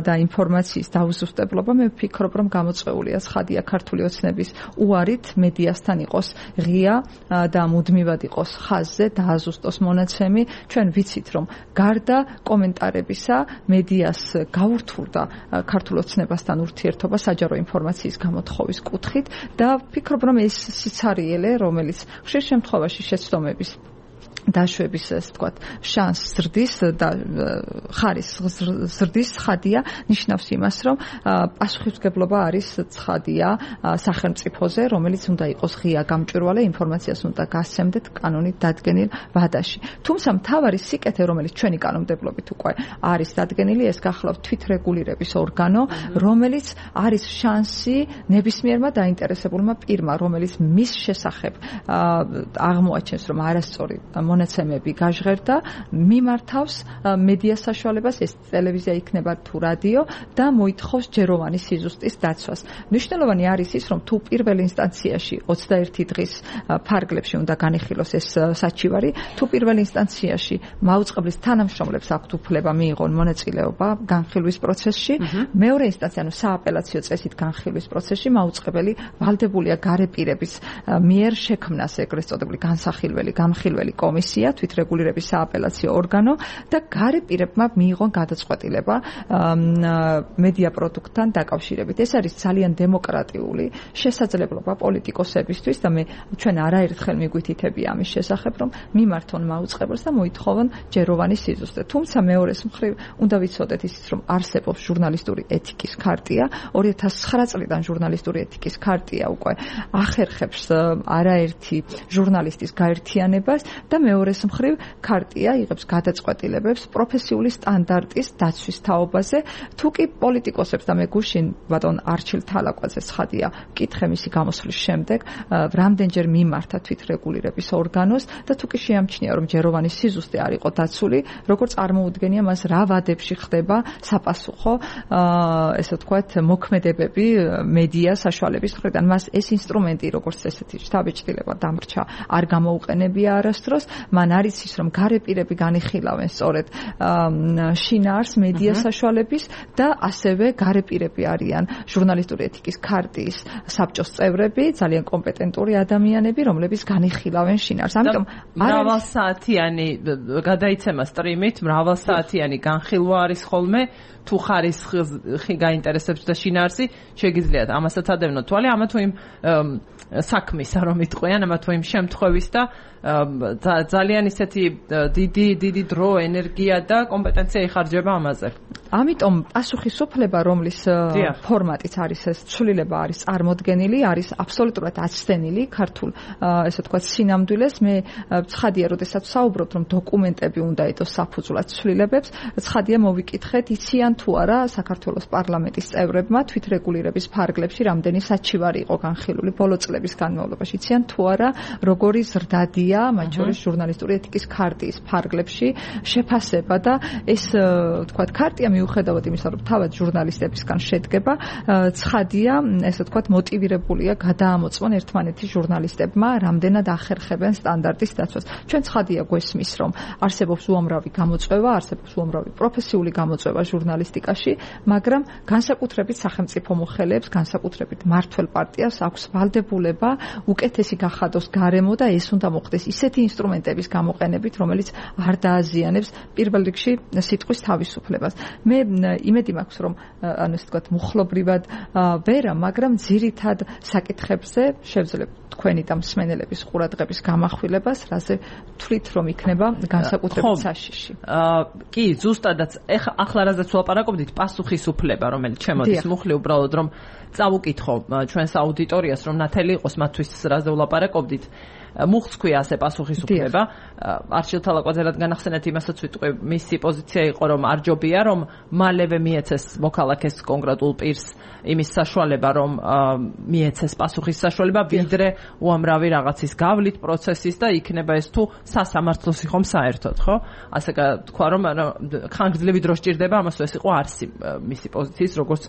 და ინფორმაციის დაუზუსტებლობა, მე ვფიქრობ, რომ გამოწვეულია ცხადია ქართული ოცნების უარით მედიასთან იყოს ღია და მუდმივად იყოს ხაზზე დააზუსტოს მონაცემი. ჩვენ ვიცით, რომ გარდა კომენტარებისა მედიას გაურთულდა ქართულ ოცნებასთან ურთიერთობა საჯარო ინფორმაციის გამოთხოვის კუთხით და ვფიქრობ, რომ ეს სიცარიელე, რომელიც ხშირ შემთხვევაში შეცდომების დაშვების ასე ვთქვათ შანსს ზრდის და ხარისხს ზრდის ხადია ნიშნავს იმას რომ პასუხისმგებლობა არის ცხადია სახელმწიფოზე რომელიც უნდა იყოს ღია გამჭვირვალე ინფორმაციას უნდა გასცემდეთ კანონით დადგენილ ვადაში თუმცა მთავარი სიკეთე რომელიც ჩვენი კანონმდებლობით უკვე არის დადგენილი ეს გახლავთ თვითრეგულირების ორგანო რომელიც არის შანსი ნებისმიერმა დაინტერესებულმა პირმა რომელიც მის შესახებ აღმოაჩენს რომ არასწორი მონაცემები გაჟღერდა მიმართავს მედია საშუალებას ეს ტელევიზია იქნება თუ რადიო და მოითხოვს ჯეროვანი სიზუსტის დაცვას. მნიშვნელოვანი არის ის რომ თუ პირველ ინსტანციაში 21 დღის ფარგლებში უნდა განიხილოს ეს საჩივარი თუ პირველ ინსტანციაში მაუწყებლის თანამშრომლებს აქვთ უფლება მიიღონ მონაწილეობა განხილვის პროცესში მეორე ინსტანცია ანუ სააპელაციო წესით განხილვის პროცესში მაუწყებელი ვალდებულია გარეპირების მიერ შექმნას ეგრეთ წოდებული განსახილველი განხილველი კომისია თვითრეგულირების სააპელაციო ორგანო და გარეპირებმა მიიღონ გადაწყვეტილება მედია პროდუქტთან დაკავშირებით. ეს არის ძალიან დემოკრატიული შესაძლებლობა პოლიტიკოსებისთვის და მე ჩვენ არაერთხელ მიგვითითები ამის შესახებ რომ მიმართონ მაუწყებელს და მოითხოვონ ჯეროვანი სიზუსტე. თუმცა მეორეს მხრივ უნდა ვიცოდეთ ისიც რომ არსებობს ჟურნალისტური ეთიკის ქარტია 2009 წლიდან ჟურნალისტური ეთიკის ქარტია უკვე ახერხებს არაერთი ჟურნალისტის გაერთიანებას და მეორეს მხრივ ქარტია იღებს გადაწყვეტილებებს პროფესიული სტანდარტის დაცვის თაობაზე თუ კი პოლიტიკოსებს და მე გუშინ ბატონ არჩილ თალაკვაძე ცხადია მკითხე მისი გამოსვლის შემდეგ რამდენჯერ მიმართა თვითრეგულირების ორგანოს და თუ კი შეამჩნია რომ ჯეროვანი სიზუსტე არ იყო დაცული როგორ წარმოუდგენია მას რა ვადებში ხდება საპასუხო ესე ვთქვათ მოქმედებები მედია საშუალების მხრიდან მას ეს ინსტრუმენტი როგორც ესეთი შთაბეჭდილება დამრჩა არ გამოუყენებია არასდროს მან არის ის რომ გარეპირები განიხილავენ სწორედ შინაარს მედია საშუალების და ასევე გარეპირები არიან ჟურნალისტური ეთიკის ქარტიის საბჭოს წევრები ძალიან კომპეტენტური ადამიანები რომლებიც განიხილავენ შინაარს ამიტომ მრავალსაათიანი გადაიცემა სტრიმით მრავალსაათიანი განხილვა არის ხოლმე თუ ხარისხი გაინტერესებს და შინაარსი შეგიძლიათ ამასაც ადევნოთ თვალი ამა თუ იმ საქმისა რომ იტყვიან ამა თუ იმ შემთხვევის და ძალიან ისეთი დიდი დრო ენერგია და კომპეტენცია იხარჯება ამაზე. ამიტომ პასუხისუფლება რომლის ფორმატიც არის ეს ცვლილება არის წარმოდგენილი არის აბსოლუტურად აცდენილი ქართულ ესე ვთქვათ სინამდვილეს მე ცხადია როდესაც საუბრობთ რომ დოკუმენტები უნდა ეთოს საფუძვლად ცვლილებებს ცხადია მოვიკითხეთ იციან თუ არა საქართველოს პარლამენტის წევრებმა თვითრეგულირების ფარგლებში რამდენი საჩივარი იყო განხილული ბოლო წლების განმავლობაში იციან თუ არა როგორი ზრდადია მათ შორის ჟურნალისტური ეთიკის ქარტიის ფარგლებში შეფასება და ეს ვთქვათ ქარტია მიუხედავად იმისა რომ თავად ჟურნალისტებისგან შედგება ცხადია ესე ვთქვათ მოტივირებულია გადაამოწმონ ერთმანეთის ჟურნალისტებმა რამდენად ახერხებენ სტანდარტის დაცვას ჩვენ ცხადია გვესმის რომ არსებობს უამრავი გამოწვევა არსებობს უამრავი პროფესიული გამოწვევა ჟურნალისტიკაში მაგრამ განსაკუთრებით სახელმწიფო მოხელეებს განსაკუთრებით მმართველ პარტიას აქვს ვალდებულება უკეთესი გახადოს გარემო და ეს უნდა მოხდეს ისეთი ინსტრუმენტების გამოყენებით რომელიც არ დააზიანებს პირველ რიგში სიტყვის თავისუფლებას მე იმედი მაქვს რომ ანუ ესე ვთქვათ მუხლობრივად ვერა მაგრამ ძირითად საკითხებზე შევძლებ თქვენი და მსმენელების ყურადღების გამახვილებას რაზე თვლით რომ იქნება განსაკუთრებით საშიში კი ზუსტადაც ახლა რაზეც ვლაპარაკობდით პასუხისუფლება რომელიც შემოდის მუხლი უბრალოდ რომ წავუკითხო ჩვენს აუდიტორიას რომ ნათელი იყოს მათთვის რაზე ვლაპარაკობდით მუხლს ქვია ასე პასუხისუფლება არჩილ თალაკვაძე რადგან ახსენეთ იმასაც ვიტყვი მისი პოზიცია იყო რომ არ ჯობია რომ მალევე მიეცეს მოქალაქეს კონკრეტულ პირს იმის საშუალება რომ მიეცეს პასუხის საშუალება ვიდრე უამრავი რაღაცის გავლით პროცესის და იქნება ეს თუ სასამართლოს ხომ საერთოდ, ხო? ასე თქვა რომ ხანგრძლივი დრო სჭირდება, ამას ეს იყო არსი მისი პოზიციის, როგორც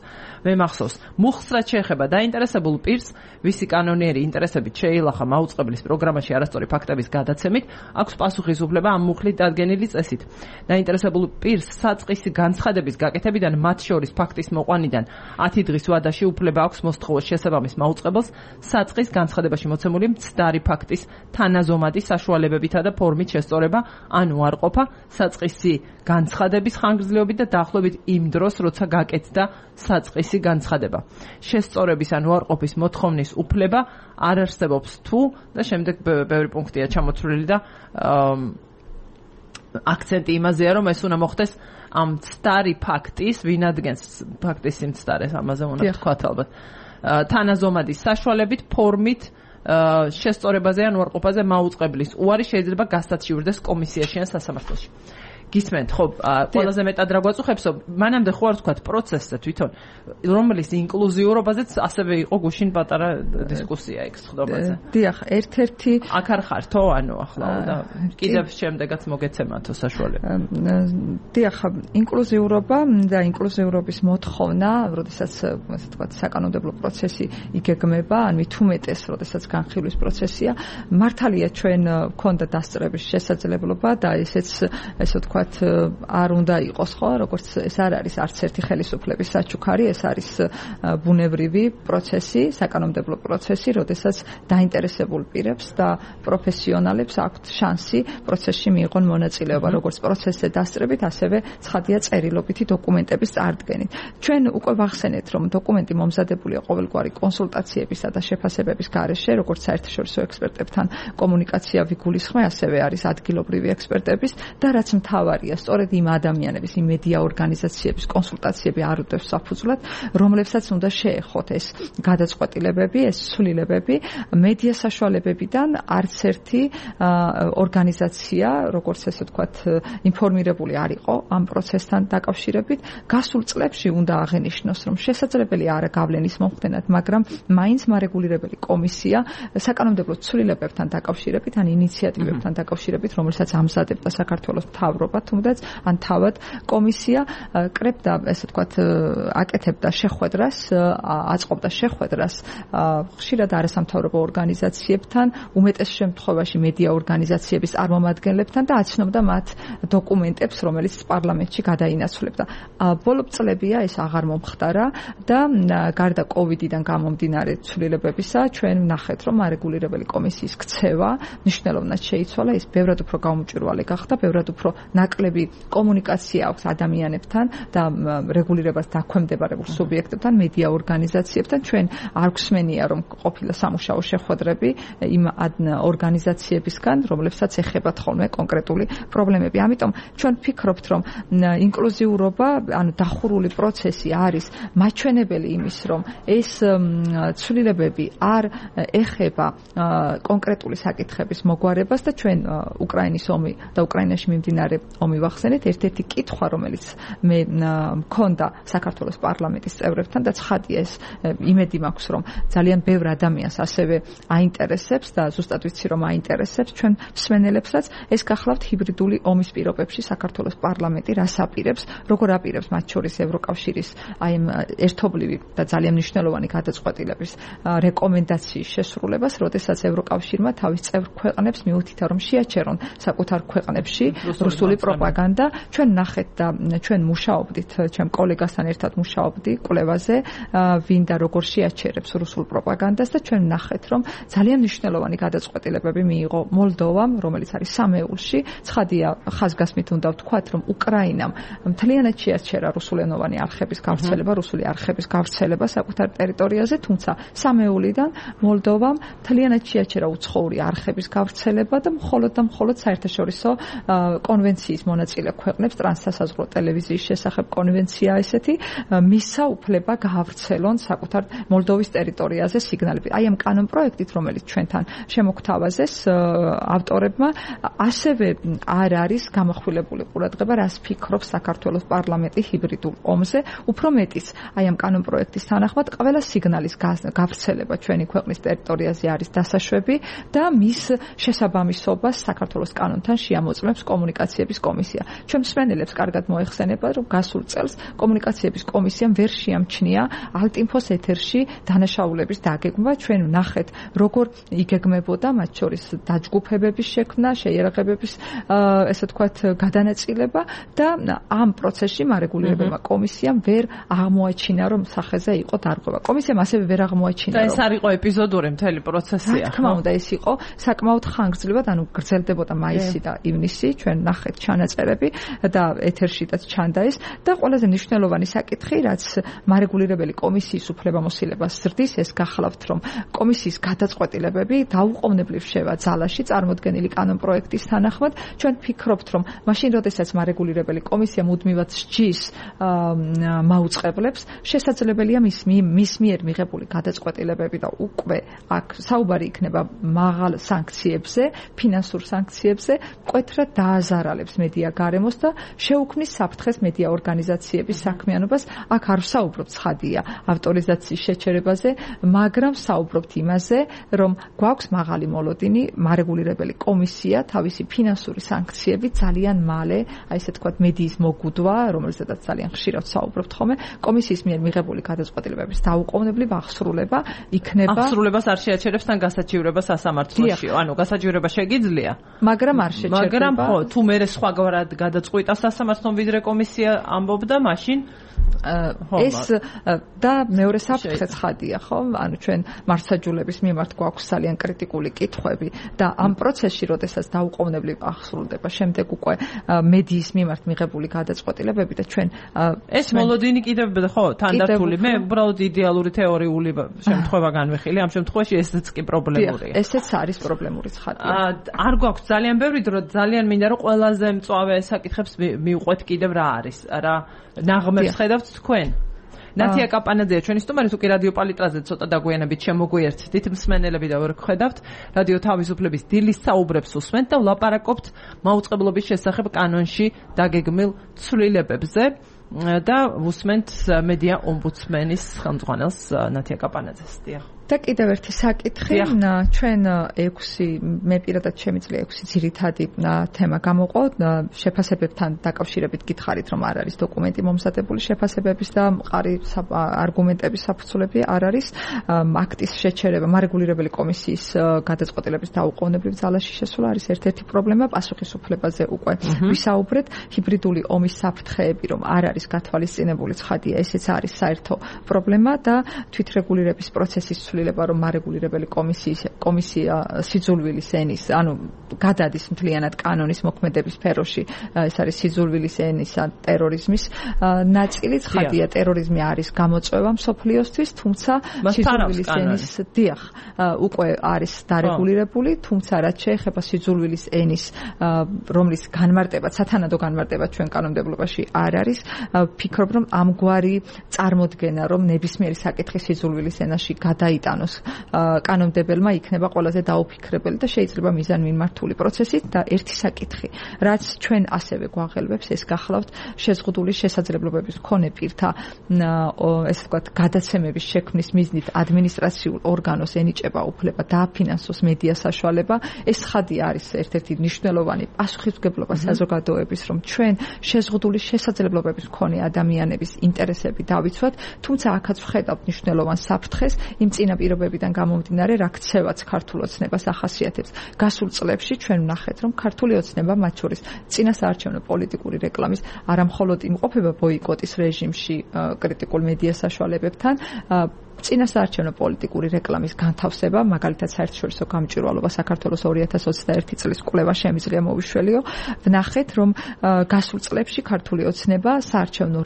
მე მახსოვს. მუხლს რაც შეეხება დაინტერესებულ პირს, ვისი კანონიერი ინტერესებით შეილახა მაუწყებლის პროგრამაში არასწორი ფაქტების გადაცემით, აქვს პასუხისმგებლობა ამ მუხლით დადგენილი წესით. დაინტერესებულ პირს საწყისი განცხადების გაკეთებიდან, მათ შორის ფაქტის მოყვანიდან 10 დღის ვადაში უფლება აქვს მოსთხოვოს შესაბამის მაუწყებელს საწყის განცხადებაში მოცემული მცდარი ფაქტის თანაზომადი საშუალებებითა და ფორმით შესწორება ან უარყოფა საწყისი განცხადების ხანგრძლივობით და დაახლოებით იმ დროს, როცა გაკეთდა საწყისი განცხადება. შესწორების ან უარყოფის მოთხოვნის უფლება არ არსებობს თუ და შემდეგ ბევრი პუნქტია ჩამოთვლილი და აქცენტი იმაზეა, რომ ეს უნდა მოხდეს ამ მცდარი ფაქტის, ვინ ადგენს ფაქტის სიმცდარეს, ამაზე უნდა ვთქვათ ალბათ. თანაზომადის საშუალებით, ფორმით, შესწორებაზე ან უარყოფაზე მაუწყებლის უარი შეიძლება გასაცივდეს კომისიაში ან სასამართლოში. გისმენთ, ხო, ყველაზე მეტად რა გვაწუხებსო, მანამდე ხო არ ვთქვათ პროცესზე თვითონ, რომლის ინკლუზიურობაზეც ასევე იყო გუშინ პატარა დისკუსია იქ ხდობაზე. დიახ, ერთ-ერთი აქ არ ხართო, ანუ ახლა და კიდევ შემდეგაც მოგეცემათო საშუალება. დიახ, ინკლუზიურობა და ინკლუზიურობის მოთხოვნა, როდესაც ასე ვთქვათ, საკანონმდებლო პროცესი იგეგმება, ან მით უმეტეს, როდესაც განხილვის პროცესია, მართალია ჩვენ გვქონდა დასწრების შესაძლებლობა და ესეც ესე ვთქვათ არ უნდა იყოს, ხო, როგორც ეს არ არის არც ერთი ხელისუფლების საჩუქარი, ეს არის ბუნებრივი პროცესი, საკანონმდებლო პროცესი, როდესაც დაინტერესებულ პირებს და პროფესიონალებს აქვთ შანსი პროცესში მიიღონ მონაწილეობა, როგორც პროცესზე დასწრებით, ასევე ცხადია წერილობითი დოკუმენტების წარდგენით. ჩვენ უკვე ვახსენეთ, რომ დოკუმენტი მომზადებულია ყოველგვარი კონსულტაციებისა და შეფასებების გარეშე, როგორც საერთაშორისო ექსპერტებთან კომუნიკაცია ვიგულისხმე, ასევე არის ადგილობრივი ექსპერტების და რაც მთავარია, სწორედ იმ ადამიანების, იმ მედია ორგანიზაციების კონსულტაციები არ უდევს საფუძვლად, რომლებსაც უნდა შეეხოთ ეს გადაწყვეტილებები, ეს ცვლილებები, მედია საშუალებებიდან არც ერთი ორგანიზაცია, როგორც ესე ვთქვათ, ინფორმირებული არ იყო ამ პროცესთან დაკავშირებით. გასულ წლებში უნდა აღენიშნოს, რომ შესაძლებელი არა გავლენის მომხდენად, მაგრამ მაინც მარეგულირებელი კომისია საკანონმდებლო ცვლილებებთან დაკავშირებით, ან ინიციატივებთან დაკავშირებით, რომელსაც ამზადებდა საქართველოს მთავრობა, თუნდაც ან თავად კომისია კრებდა, ესე ვთქვათ, აკეთებდა შეხვედრას, აწყობდა შეხვედრას ხშირად არასამთავრობო ორგანიზაციებთან, უმეტეს შემთხვევაში მედია ორგანიზაციების წარმომადგენლებთან და აცნობდა მათ დოკუმენტებს, რომელიც პარლამენტში გადაინაცვლებდა. ბოლო წლებია ეს აღარ მომხდარა და გარდა კოვიდიდან გამომდინარე ცვლილებებისა, ჩვენ ვნახეთ, რომ არეგულირებელი კომისიის ქცევა მნიშვნელოვნად შეიცვალა, ის ბევრად უფრო გაუმჭვირვალე გახდა, ბევრად უფრო ნაკლები კომუნიკაცია აქვს ადამიანებთან და რეგულირებას დაქვემდებარებულ სუბიექტებთან, მედია ორგანიზაციებთან. ჩვენ არ გვსმენია, რომ ყოფილა სამუშაო შეხვედრები იმ ორგანიზაციებისგან, რომლებსაც ეხებათ ხოლმე კონკრეტული პრობლემები. ამიტომ ჩვენ ვფიქრობთ, რომ ინკლუზიურობა, ანუ დახურული პროცესი არის მაჩვენებელი იმის, რომ ეს ცვლილებები არ ეხება კონკრეტული საკითხების მოგვარებას და ჩვენ უკრაინის ომი და უკრაინაში მიმდინარე ომი ვახსენეთ, ერთ-ერთი კითხვა, რომელიც მე მქონდა საქართველოს პარლამენტის წევრებთან და ცხადია ეს იმედი მაქვს, რომ ძალიან ბევრ ადამიანს ასევე აინტერესებს და ზუსტად ვიცი, რომ აინტერესებს ჩვენ მსმენელებსაც, ეს გახლავთ ჰიბრიდული ომის პირობებში საქართველოს პარლამენტი რას აპირებს, როგორ აპირებს მათ შორის ევროკავშირის აი ამ ერთობლივი და ძალიან მნიშვნელოვანი გადაწყვეტილების რეკომენდაციის შესრულებას, როდესაც ევროკავშირმა თავის წევრ ქვეყნებს მიუთითა, რომ შეაჩერონ საკუთარ ქვეყნებში რუსული პროპაგანდა. ჩვენ ნახეთ და ჩვენ მუშაობდით, ჩემ კოლეგასთან ერთად მუშაობდი კვლევაზე, ვინ და როგორ შეაჩერებს რუსულ პროპაგანდას და ჩვენ ნახეთ, რომ ძალიან მნიშვნელოვანი გადაწყვეტილებები მიიღო მოლდოვამ, რომელიც არის სამეულში. ცხადია, ხაზგასმით უნდა ვთქვათ, რომ უკრაინამ მთლიანად შეაჩერა რუსულენოვანი არხების გავრცელება, რუსული არხების გავრცელება საკუთარ ტერიტორიაზე, თუმცა სამეულიდან მოლდოვამ მთლიანად შეაჩერა უცხოური არხების გავრცელება და მხოლოდ საერთაშორისო კონვენცია კომისიის მონაწილე ქვეყნებს ტრანსსასაზღვრო ტელევიზიის შესახებ კონვენცია ესეთი მისცა უფლება გაავრცელონ საკუთარ მოლდოვის ტერიტორიაზე სიგნალები. აი ამ კანონ პროექტით, რომელიც ჩვენთან შემოგთავაზეს ავტორებმა, ასევე არ არის გამახვილებული ყურადღება, რას ფიქრობს საქართველოს პარლამენტი ჰიბრიდულ ომზე. უფრო მეტიც, აი ამ კანონ პროექტის თანახმად, ყველა სიგნალის გავრცელება ჩვენი ქვეყნის ტერიტორიაზე არის დასაშვები და მის შესაბამისობას საქართველოს კანონთან შეამოწმებს კომუნიკაციების კომისია. ჩვენ მსმენელებს კარგად მოეხსენება, რომ გასულ წელს კომუნიკაციების კომისიამ ვერ შეამჩნია ალტინფოს ეთერში დანაშაულების დაგეგმვა. ჩვენ ვნახეთ, როგორ იგეგმებოდა მათ შორის დაჯგუფებების შექმნა, შეიარაღებების ესე ვთქვათ გადანაწილება და ამ პროცესში მარეგულირებელმა კომისიამ ვერ აღმოაჩინა, რომ სახეზე იყო დარღვევა. კომისიამ ასევე ვერ აღმოაჩინა, რომ ეს არ იყო ეპიზოდური მთელი პროცესია. რა თქმა უნდა, ეს იყო საკმაოდ ხანგრძლივად, ანუ გრძელდებოდა მაისი და ივნისი, ჩვენ ნახეთ ჩანაწერები და ეთერშიც ჩანდა ეს და ყველაზე მნიშვნელოვანი საკითხი, რაც მარეგულირებელი კომისიის უფლებამოსილებას ზრდის, ეს გახლავთ, რომ კომისიის გადაწყვეტილებები დაუყოვნებლივ შევა ძალაში წარმოდგენილი კანონ პროექტის თანახმად. ჩვენ ფიქრობთ, რომ მაშინ, როდესაც მარეგულირებელი კომისია მუდმივად სჯის მაუწყებლებს, შესაძლებელია მის მიერ მიღებული გადაწყვეტილებები და უკვე აქ საუბარი იქნება მაღალ სანქციებზე, ფინანსურ სანქციებზე, მკვეთრად დააზარალებს მედია გარემოს და შეუქმნის საფრთხეს მედია ორგანიზაციების საქმიანობას. აქ არ ვსაუბრობთ ცხადია ავტორიზაციის შეჩერებაზე, მაგრამ ვსაუბრობთ იმაზე, რომ გვაქვს მაღალი მოლოდინი, მარეგულირებელი კომისია თავისი ფინანსური სანქციები ძალიან მალე, აი ესე თქვათ, მედიის მოგუდვა, რომელზედაც ძალიან ხშირად ვსაუბრობთ ხოლმე, კომისიის მიერ მიღებული გადაწყვეტილებების დაუყოვნებლივ აღსრულება იქნება. აღსრულებას არ შეაჩერებს თან გასაჩივრებას სასამართლოში. ანუ გასაჩივრება შეგიძლია, მაგრამ არ შეჩერდება. მაგრამ ხო, თუ მე სხვაგვარად გადაწყვიტა სასამართლომ ვიდრე კომისია ამბობდა, მაშინ ეს და მეორე საფრთხე ცხადია, ხო? ანუ ჩვენ მართლმსაჯულების მიმართ გვაქვს ძალიან კრიტიკული კითხვები და ამ პროცესში, როდესაც დაუყოვნებლივ აღსრულდება, შემდეგ უკვე მედიის მიმართ მიღებული გადაწყვეტილებები და ჩვენ ეს მოლოდინი კიდევ ხო, თანდართული. მე უბრალოდ იდეალური თეორიული შემთხვევა განვიხილე, ამ შემთხვევაში ესეც კი პრობლემურია. ესეც არის პრობლემური ცხადია. არ გვაქვს ძალიან ბევრი დრო, ძალიან მინდა რომ ყველაზე მწვავე საკითხებს მივყვეთ კიდევ რა არის, რა ნაღმებს ხედავთ თქვენ. ნათია კაპანაძეა ჩვენი სტუმარი, თუ კი რადიო პალიტრაზე ცოტა დაგვიანებით შემოგვიერთდით მსმენელები და ვერ გხედავთ, რადიო თავისუფლების დილის საუბრებს უსმენთ და ვლაპარაკობთ მაუწყებლობის შესახებ კანონში დაგეგმილ ცვლილებებზე და უსმენთ მედია ომბუდსმენის ხელმძღვანელს ნათია კაპანაძეს. დიახ. და კიდევ ერთი საკითხი, ჩვენ 6 მე პირადად შემიძლია 6 ძირითადი თემა გამოყო, შეფასებებთან დაკავშირებით გითხარით, რომ არ არის დოკუმენტი მომზადებული შეფასებების და მყარი არგუმენტების საფუძვლები არ არის, აქტის შეჩერება, მარეგულირებელი კომისიის გადაწყვეტილების დაუყოვნებლივ ძალაში შესვლა არის ერთ-ერთი პრობლემა, პასუხისმფლებაზე უკვე ვისაუბრეთ, ჰიბრიდული ომის საფრთხეები, რომ არ არის გათვალისწინებული ცხადია, ესეც არის საერთო პრობლემა და თვითრეგულირების პროცესის რომ მარეგულირებელი კომისია სიძულვილის ენის, ანუ გადადის მთლიანად კანონის მოქმედების სფეროში, ეს არის სიძულვილის ენის ტერორიზმის ნაწილი, ცხადია ტერორიზმი არის გამოწვევა მსოფლიოსთვის, თუმცა სიძულვილის ენის დიახ, უკვე არის დარეგულირებული, თუმცა რაც შეეხება სიძულვილის ენის, რომლის განმარტება, სათანადო განმარტება ჩვენ კანონმდებლობაში არ არის, ფიქრობ, რომ ამგვარი წარმოდგენა, რომ ნებისმიერი საკითხი სიძულვილის ენაში გადაიტანოს კანონმდებელმა იქნება ყველაზე დაუფიქრებელი და შეიძლება მიზანმიმართული პროცესით და ერთი საკითხი, რაც ჩვენ ასევე გვაღელვებს, ეს გახლავთ შეზღუდული შესაძლებლობების მქონე პირთა ესე ვთქვათ გადაცემების შექმნის მიზნით ადმინისტრაციულ ორგანოს ენიჭება უფლება დააფინანსოს მედია საშუალება. ეს ხადია არის ერთ-ერთი მნიშვნელოვანი პასუხისმგებლობა საზოგადოების, რომ ჩვენ შეზღუდული შესაძლებლობების მქონე ადამიანების ინტერესები დავიცვათ, თუმცა აქაც ვხედავთ მნიშვნელოვან საფრთხეს იმ წინაპირობებიდან გამომდინარე, რა ქცევაც ქართულ ოცნებას ახასიათებს. გასულ წლებში ჩვენ ვნახეთ, რომ ქართული ოცნება, მათ შორის წინასაარჩევნო პოლიტიკური რეკლამის არამხოლოდ იმყოფება ბოიკოტის რეჟიმში კრიტიკულ მედია საშუალებებთან, წინასაარჩევნო პოლიტიკური რეკლამის განთავსება, მაგალითად საერთაშორისო გამჭვირვალობა საქართველოს 2021 წლის კვლევა შემიძლია მოვიშველიო. ვნახეთ, რომ გასულ წლებში ქართული ოცნება საარჩევნო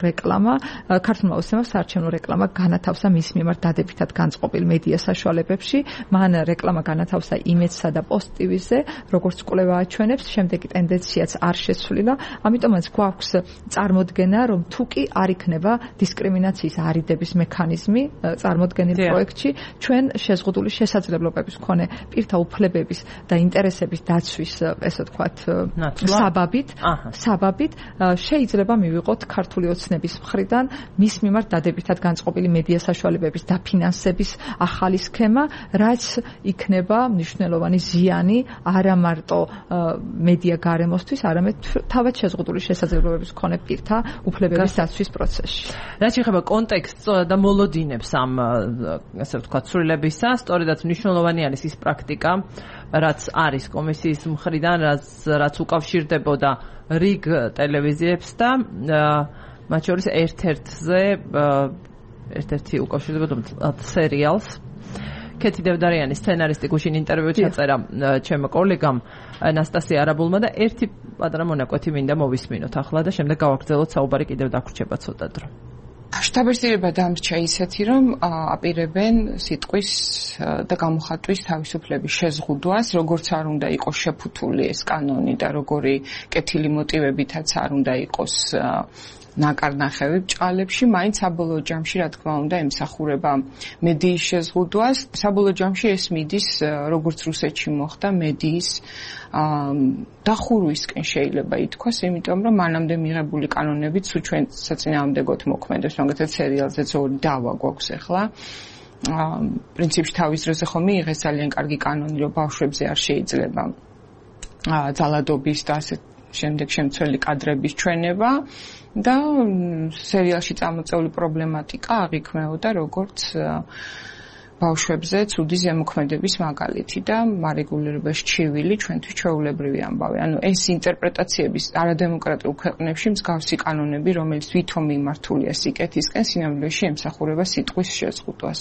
რეკლამა განათავსა მის მიმართ დადებითად განწყობილ მედია საშუალებებში. მან რეკლამა განათავსა იმედსა და პოსტ-ტივიზე, როგორც კვლევა აჩვენებს, შემდეგი ტენდენციაც არ შეცვლილა. ამიტომაც გვაქვს წარმოდგენა, რომ თუ კი არ იქნება დისკრიმინაციის არიდების მექანიზმი წარმოდგენილ პროექტში, ჩვენ შეზღუდული შესაძლებლობების მქონე პირთა უფლებების და ინტერესების დაცვის, ესე ვთქვათ, საბაბით შეიძლება მივიღოთ ქართული ოცნების მხრიდან მის მიმართ დადებითად განწყობილი მედია საშუალებების დაფინანსების ახალი სქემა, რაც იქნება მნიშვნელოვანი ზიანი არა მარტო მედია გარემოსთვის, არამედ თავად შეზღუდული შესაძლებლობების მქონე პირთა უფლებების დაცვის პროცესში. რაც შეეხება კონტექსტს და მოლოდინებს ამ ასე ვთქვათ ცვლილებისა, სწორედაც მნიშვნელოვანი არის ის პრაქტიკა, რაც არის კომისიის მხრიდან, რაც უკავშირდებოდა რიგ ტელევიზიებს და მათ შორის ერთ-ერთი უკავშირდებოდა სერიალს. ქეთი დევდარიანის სცენარისტი გუშინ ინტერვიუ ჩაწერა ჩემო კოლეგამ ნასტასია არაბულმა და ერთი პატარა მონაკვეთი მინდა მოვისმინოთ ახლა და შემდეგ გავაგრძელოთ საუბარი კიდევ დაგვრჩება ცოტა დრო. შტაბ-ბეჭდობა დამრჩა ისეთი, რომ აპირებენ სიტყვის და გამოხატვის თავისუფლების შეზღუდვას, როგორც არ უნდა იყოს შეფუთული ეს კანონი და როგორი კეთილი მოტივებითაც არ უნდა იყოს ნაკარნახევი ბჭყალებში, მაინც საბოლოო ჯამში, რა თქმა უნდა, ემსახურება მედიის შეზღუდვას. საბოლოო ჯამში ეს მიდის, როგორც რუსეთში მოხდა, მედიის დახურვისკენ შეიძლება ითქვას, იმიტომ რომ მანამდე მიღებული კანონებით სულ ჩვენ საწინააღმდეგოდ მოქმედებს, მაგალითად სერიალზეც ორი დავა გვაქვს ახლა. პრინციპში თავის დროზე ხომ მიიღეს ძალიან კარგი კანონი, რომ ბავშვებზე არ შეიძლება ძალადობის და ასე შემდეგ შემცველი კადრების ჩვენება და სერიალში წამოწეული პრობლემატიკა აღიქმეოდა როგორც ბავშვებზე ცუდი ზემოქმედების მაგალითი და მარეგულირებაში ჩივილი ჩვენთვის ჩვეულებრივი ამბავი. ანუ ეს ინტერპრეტაციების არადემოკრატიულ ქვეყნებში მსგავსი კანონები, რომელიც ვითომ მიმართულია სიკეთისკენ, სინამდვილეში ემსახურება სიტყვის შეზღუდვას.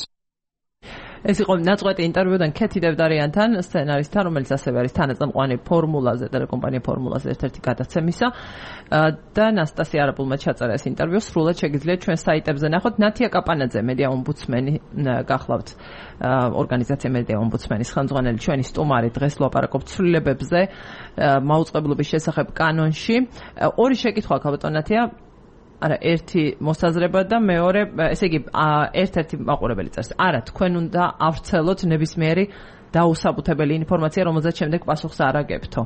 ეს იყო ნაწყვეტი ინტერვიუდან ქეთი დევდარიანთან, სცენარისტთან, რომელიც ასევე არის თანაწამყვანი ფორმულაზე, ტელეკომპანია ფორმულაზე ერთ-ერთი გადაცემისა და ნასტასია არაბულმა ჩაწერა ეს ინტერვიუ, სრულად შეგიძლიათ ჩვენ საიტებზე ნახოთ. ნათია კაპანაძე, მედია ომბუდსმენი, გახლავთ ორგანიზაცია მედია ომბუდსმენის ხელმძღვანელი, ჩვენი სტუმარი, დღეს ვლაპარაკობთ ცვლილებებზე მაუწყებლობის შესახებ კანონში. ორი შეკითხვა აქვს ბატონ ნათია. არა, ერთი მოსაზრება და მეორე, ესე იგი, ერთ-ერთი მაყურებელი წერს. არა, თქვენ უნდა ავრცელოთ ნებისმიერი დაუსაბუთებელი ინფორმაცია, რომელზეც შემდეგ პასუხს არ აგებთო.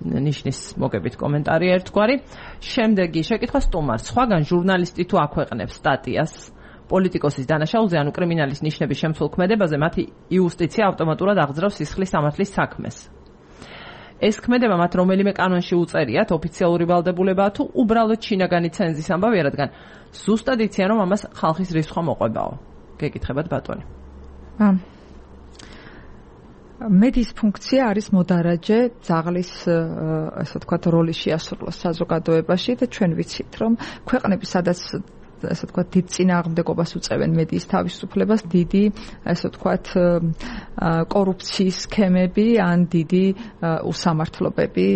ნიშნის მოგებით კომენტარი ერთგვარი. შემდეგი შეკითხვა სტუმარს. სხვაგან ჟურნალისტი თუ აქვეყნებს სტატიას პოლიტიკოსის დანაშაულზე, ანუ კრიმინალის ნიშნების შემცველ ქმედებაზე, მათი იუსტიცია ავტომატურად აღძრავს სისხლის სამართლის საქმეს. ეს ქმედება მათ რომელიმე კანონში უწერიათ, ოფიციალური ვალდებულებაა თუ უბრალოდ შინაგანი ცენზის ამბავია, რადგან ზუსტად იციან, რომ ამას ხალხის რისხვა მოყვებაო. გეკითხებათ ბატონი. მედიის ფუნქცია არის მოდარაჯე ძაღლის, ასე ვთქვათ, როლი შეასრულოს საზოგადოებაში და ჩვენ ვიცით, რომ ქვეყნები, სადაც ასე ვთქვათ, დიდ წინააღმდეგობას უწევენ მედიის თავისუფლებას, დიდი, ასე ვთქვათ, კორუფციის სქემები ან დიდი უსამართლობები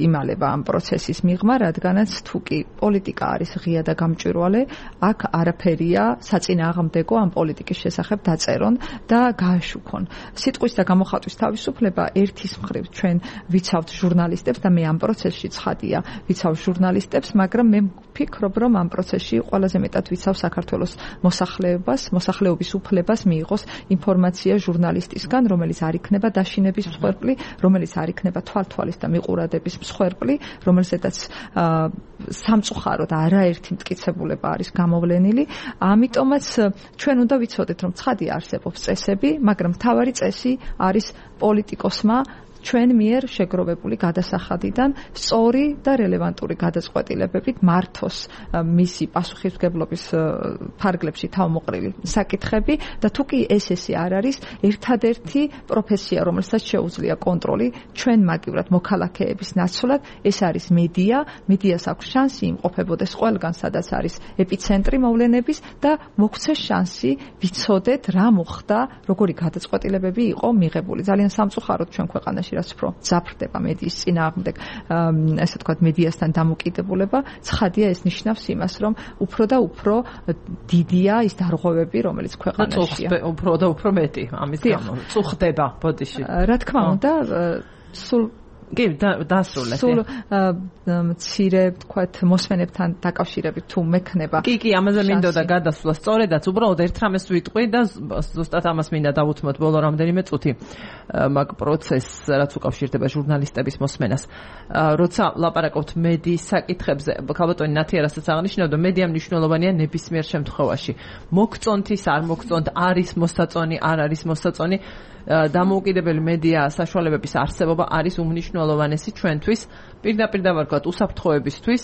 იმალება ამ პროცესის მიღმა, რადგანაც თუ კი პოლიტიკა არის ღია და გამჭვირვალე, აქ არაფერია საწინააღმდეგო ამ პოლიტიკის შესახებ დაწერონ და გააშუქონ. სიტყვის და გამოხატვის თავისუფლება ერთის მხრივ ჩვენ ვიცავთ ჟურნალისტებს და მე ამ პროცესში ცხადია ვიცავ ჟურნალისტებს, მაგრამ მე ვფიქრობ, რომ ამ პროცესში ყველაზე მეტად ვიცავ საქართველოს მოსახლეობის უფლებას მიიღოს ინფორმაცია ჟურნალისტისგან, რომელიც არ იქნება დაშინების მსხვერპლი, რომელიც არ იქნება თვალთვალის და მიყურადების მსხვერპლი, რომელზედაც სამწუხაროდ არაერთი მტკიცებულება არის გამოვლენილი. ამიტომაც ჩვენ უნდა ვიცოდეთ, რომ ცხადია არსებობს წესები, მაგრამ მთავარი წესი არის პოლიტიკოსმა ჩვენ მიერ შეგროვებული გადასახადიდან სწორი და რელევანტური გადაწყვეტილებებით მართოს მისი პასუხისმგებლობის ფარგლებში თავმოყრილი საკითხები და თუ კი ესე არ არის ერთადერთი პროფესია, რომელსაც შეუძლია კონტროლი ჩვენ მაგივრად მოქალაქეების ნაცვლად, ეს არის მედია. მედიას აქვს შანსი იმყოფებოდეს ყველგან, სადაც არის ეპიცენტრი მოვლენების და მოგვცეს შანსი ვიცოდეთ რა მოხდა, როგორი გადაწყვეტილებები იყო მიღებული. ძალიან სამწუხაროდ ჩვენ ქვეყანაში რაც უფრო ძაფრდება მედიის წინააღმდეგ, ესე ვთქვათ, მედიასთან დამოკიდებულება, ცხადია ეს ნიშნავს იმას, რომ უფრო და უფრო დიდია ის დარღვევები, რომელიც ქვეყანაშია. უფრო და უფრო მეტი ამის გამო წუხდება ბოდიში. რა თქმა უნდა, სულ კი დასრულეთ. სულ მცირე ვთქვათ მოსმენებთან დაკავშირებით თუ მექნება. კი, ამაზე მინდოდა გადასვლა. სწორედაც უბრალოდ ერთ რამეს ვიტყვი და ზუსტად ამას მინდა დავუთმოთ ბოლო რამდენიმე წუთი მაგ პროცესს, რაც უკავშირდება ჟურნალისტების მოსმენას. როცა ლაპარაკობთ მედიის საკითხებზე, ქალბატონი ნათია რასაც აღნიშნავდა, მედია მნიშვნელოვანია ნებისმიერ შემთხვევაში. მოგწონთ ის, არ მოგწონთ, არის მოსაწონი, არ არის მოსაწონი. დამოუკიდებელი მედია საშუალებების არსებობა არის უმნიშვნელოვანესი ჩვენთვის, პირდაპირ დავარქვათ უსაფრთხოებისთვის,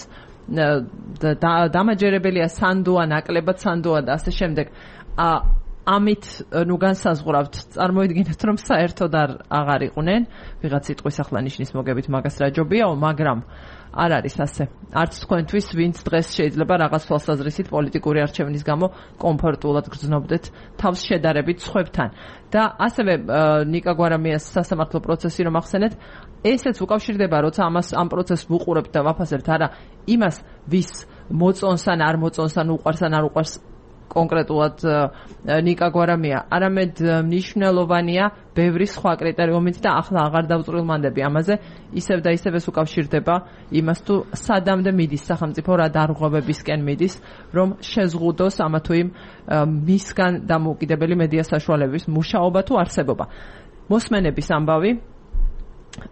დამაჯერებელია სანდოა, ნაკლებად სანდოა და ასე შემდეგ. ამით განსაზღვრავთ, წარმოიდგინეთ, რომ საერთოდ აღარ იყვნენ, ვიღაც სიტყვის ახლა ნიშნის მოგებით მაგას რა ჯობიაო, მაგრამ არ არის ასე. არც თქვენთვის, ვინც დღეს შეიძლება რაღაც თვალსაზრისით პოლიტიკური არჩევნის გამო კომფორტულად გრძნობდეთ თავს შედარებით სხვებთან. და ასევე ნიკა გვარამიას სასამართლო პროცესი რომ ახსენეთ, ესეც უკავშირდება, როცა ამ პროცესს ვუყურებთ და ვაფასებთ არა იმას, ვის მოწონს ან არ მოწონს, ან უყვარს ან არ უყვარს კონკრეტულად ნიკა გვარამია, არამედ მნიშვნელოვანია ბევრი სხვა კრიტერიუმით და ახლა აღარ დავწვრილმანდები ამაზე, ისევ და ისევ ეს უკავშირდება იმას, თუ სადამდე მიდის სახელმწიფო, რა დარღვევებისკენ მიდის, რომ შეზღუდოს ამა თუ იმ მისგან დამოუკიდებელი მედია საშუალებების მუშაობა თუ არსებობა. მოსმენების ამბავი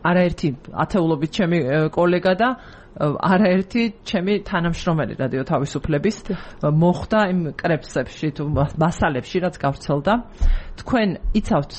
არაერთი ათეულობით ჩემი კოლეგა და არაერთი ჩემი თანამშრომელი რადიო თავისუფლების მოხდა იმ კრებსებში თუ მასალებში, რაც გავრცელდა. თქვენ იცავთ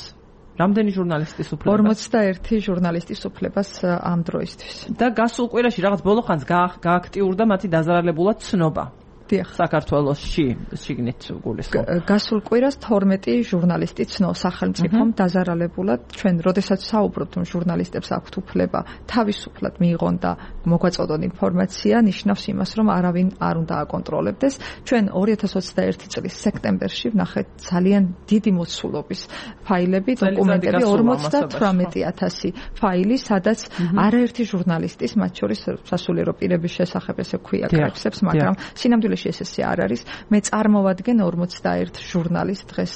რამდენი ჟურნალისტის უფლებას? 41 ჟურნალისტის უფლებას ამ დროისთვის. და გასულ კვირაში რაღაც ბოლო ხანს გააქტიურდა მათი დაზარალებულად ცნობა. საქართველოში შიგნით გულისხმობ. გასულ კვირას 12 ჟურნალისტი ცნო სახელმწიფომ დაზარალებულად. ჩვენ როდესაც საუბრობთ, რომ ჟურნალისტებს აქვთ უფლება თავისუფლად მიიღონ და მოგვაწოდონ ინფორმაცია, ნიშნავს იმას, რომ არავინ არ უნდა აკონტროლებდეს. ჩვენ 2021 წლის სექტემბერში ვნახეთ ძალიან დიდი მოცულობის ფაილები, დოკუმენტები, 58000 ფაილი, სადაც არაერთი ჟურნალისტის, მათ შორის სასულიერო პირების შესახებ ესე ქვია კრებსებს, მაგრამ სინამდვილეში ესე არ არის. მე წარმოვადგენ 41 ჟურნალისტს დღეს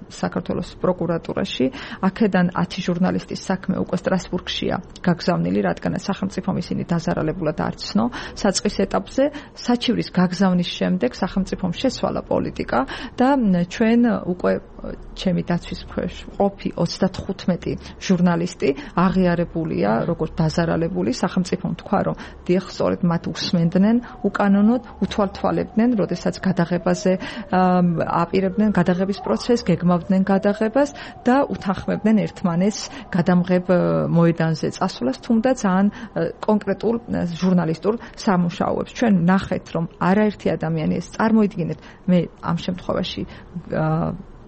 საქართველოს პროკურატურაში. აქედან 10 ჟურნალისტის საქმე უკვე სტრასბურგშია გაგზავნილი, რადგანაც სახელმწიფომ ისინი დაზარალებულად არ ცნო. საწყის ეტაპზე საჩივრის გაგზავნის შემდეგ სახელმწიფომ შეცვალა პოლიტიკა და ჩვენ უკვე ჩემი დაცვის ქვეშ ყოფი 35 ჟურნალისტი აღიარებულია როგორც დაზარალებული. სახელმწიფომ თქვა, რომ დიახ, სწორედ მათ უსმენდნენ უკანონოდ, უთვალთვალებდნენ, როდესაც გადაღებაზე აპირებდნენ გადაღების პროცესს, გეგმავდნენ გადაღებას და უთანხმებდნენ ერთმანეთს გადამღებ მოედანზე წასვლას, თუმცა ძალიან კონკრეტულ ჟურნალისტურ სამუშაოებს. ჩვენ ნახეთ, რომ არაერთი ადამიანი ეს წარმოიდგინეთ, მე ამ შემთხვევაში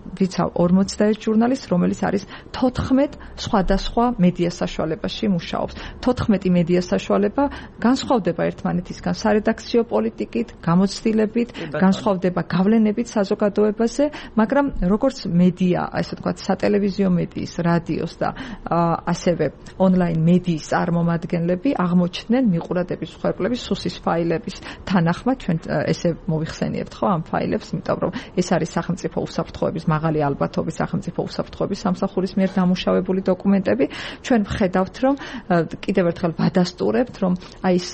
ვიცავ 41 ჟურნალისტს, რომელიც არის 14 სხვადასხვა მედია საშუალებაში მუშაობს. 14 მედია საშუალება განსხვავდება ერთმანეთისგან სარედაქციო პოლიტიკით, გამოცდილებით, განსხვავდება გავლენებით საზოგადოებაზე, მაგრამ როგორც მედია, ასე ვთქვათ, სატელევიზიო მედიის, რადიოს და ასევე ონლაინ მედიის წარმომადგენლები აღმოჩნდნენ მიყურადების მსხვერპლების სუსის ფაილების თანახმად. ჩვენ ესე მოვიხსენიებთ ხო ამ ფაილებს, იმიტომ რომ ეს არის სახელმწიფო უსაფრთხოების მაღალი ალბათობის სახელმწიფო უსაფრთხოების სამსახურის მიერ დამუშავებული დოკუმენტები. ჩვენ ვხედავთ, რომ კიდევ ერთხელ ვადასტურებთ, რომ აი ეს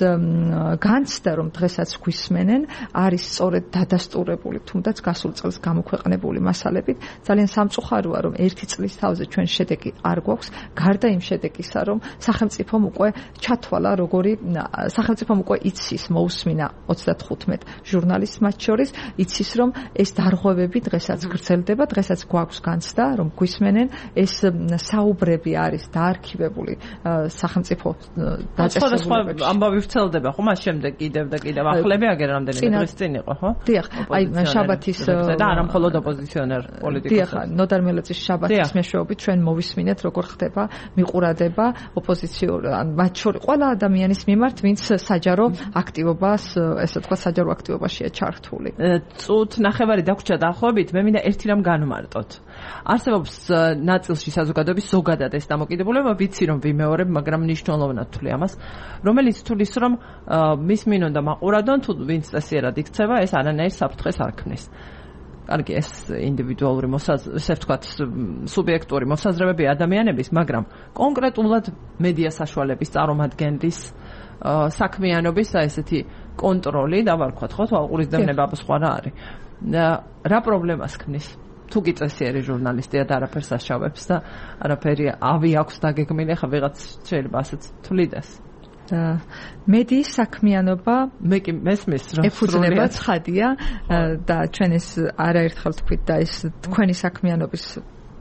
განცდა, რომ დღესაც გვისმენენ, არის სწორედ დადასტურებული, თუნდაც გასულ წელს გამოქვეყნებული მასალებით. ძალიან სამწუხაროა, რომ ერთი წლის თავზე ჩვენ შედეგი არ გვაქვს, გარდა იმ შედეგისა, რომ სახელმწიფომ უკვე ჩათვალა, სახელმწიფომ უკვე იცის, მოусმინა 35 ჟურნალისტს მათ შორის, იცის, რომ ეს დარღვევები დღესაც გრძელდება დღესაც გვაქვს განცდა, რომ გვისმენენ ეს საუბრები არის დაარქივებული სახელმწიფო დაწესებულებებში. ამბავი ვრცელდება ხო მას შემდეგ კიდევ ახლები აგერ რამდენი დღის წინ იყო ხო? დიახ, აი შაბათის და არა მხოლოდ ოპოზიციონერ პოლიტიკოსებს. დიახ, ნოდარ მელოძის შაბათის მეშვეობით ჩვენ მოვისმინეთ როგორ ხდება მიყურადება ოპოზიციურ ან მათ შორის ყველა ადამიანის მიმართ, ვინც საჯარო აქტივობას, ესე ვთქვათ, საჯარო აქტივობაშია ჩართული. წუთ ნახევარი დაგვრჩა დაახლოებით, მე მინდა ერთი რამ განვმარტოთ. არსებობს ნაწილში საზოგადოების ზოგადად ეს დამოკიდებულება, ვიცი რომ ვიმეორებ, მაგრამ მნიშვნელოვნად თვლი ამას, რომელიც თulis რომ მის მინონდა მაყურადონ, თუ ვინც წესიერად იქცევა, ეს არანაირ საფრთხეს არ ქმნის. კარგი, ეს ინდივიდუალური ესე ვთქვათ, სუბიექტური მოსაზრებები ადამიანების, მაგრამ კონკრეტულად მედია საშუალების წარმომადგენლის საქმიანობის ესეთი კონტროლი და ვარქვათ ხო, თვალყურის დევნება სხვა რა არის. რა პრობლემას ქმნის? თუ კი წესიერი ჟურნალისტია და არაფერს აშავებს და არაფერი ავი აქვს დაგეგმილი, ხა ვიღაც შეიძლება ასეც თვლიდეს. მედიის საქმიანობა მე კი მესმის რომ ეფუძნება ცხადია და ჩვენ ეს არაერთხელ თქვით და ეს თქვენი საქმიანობის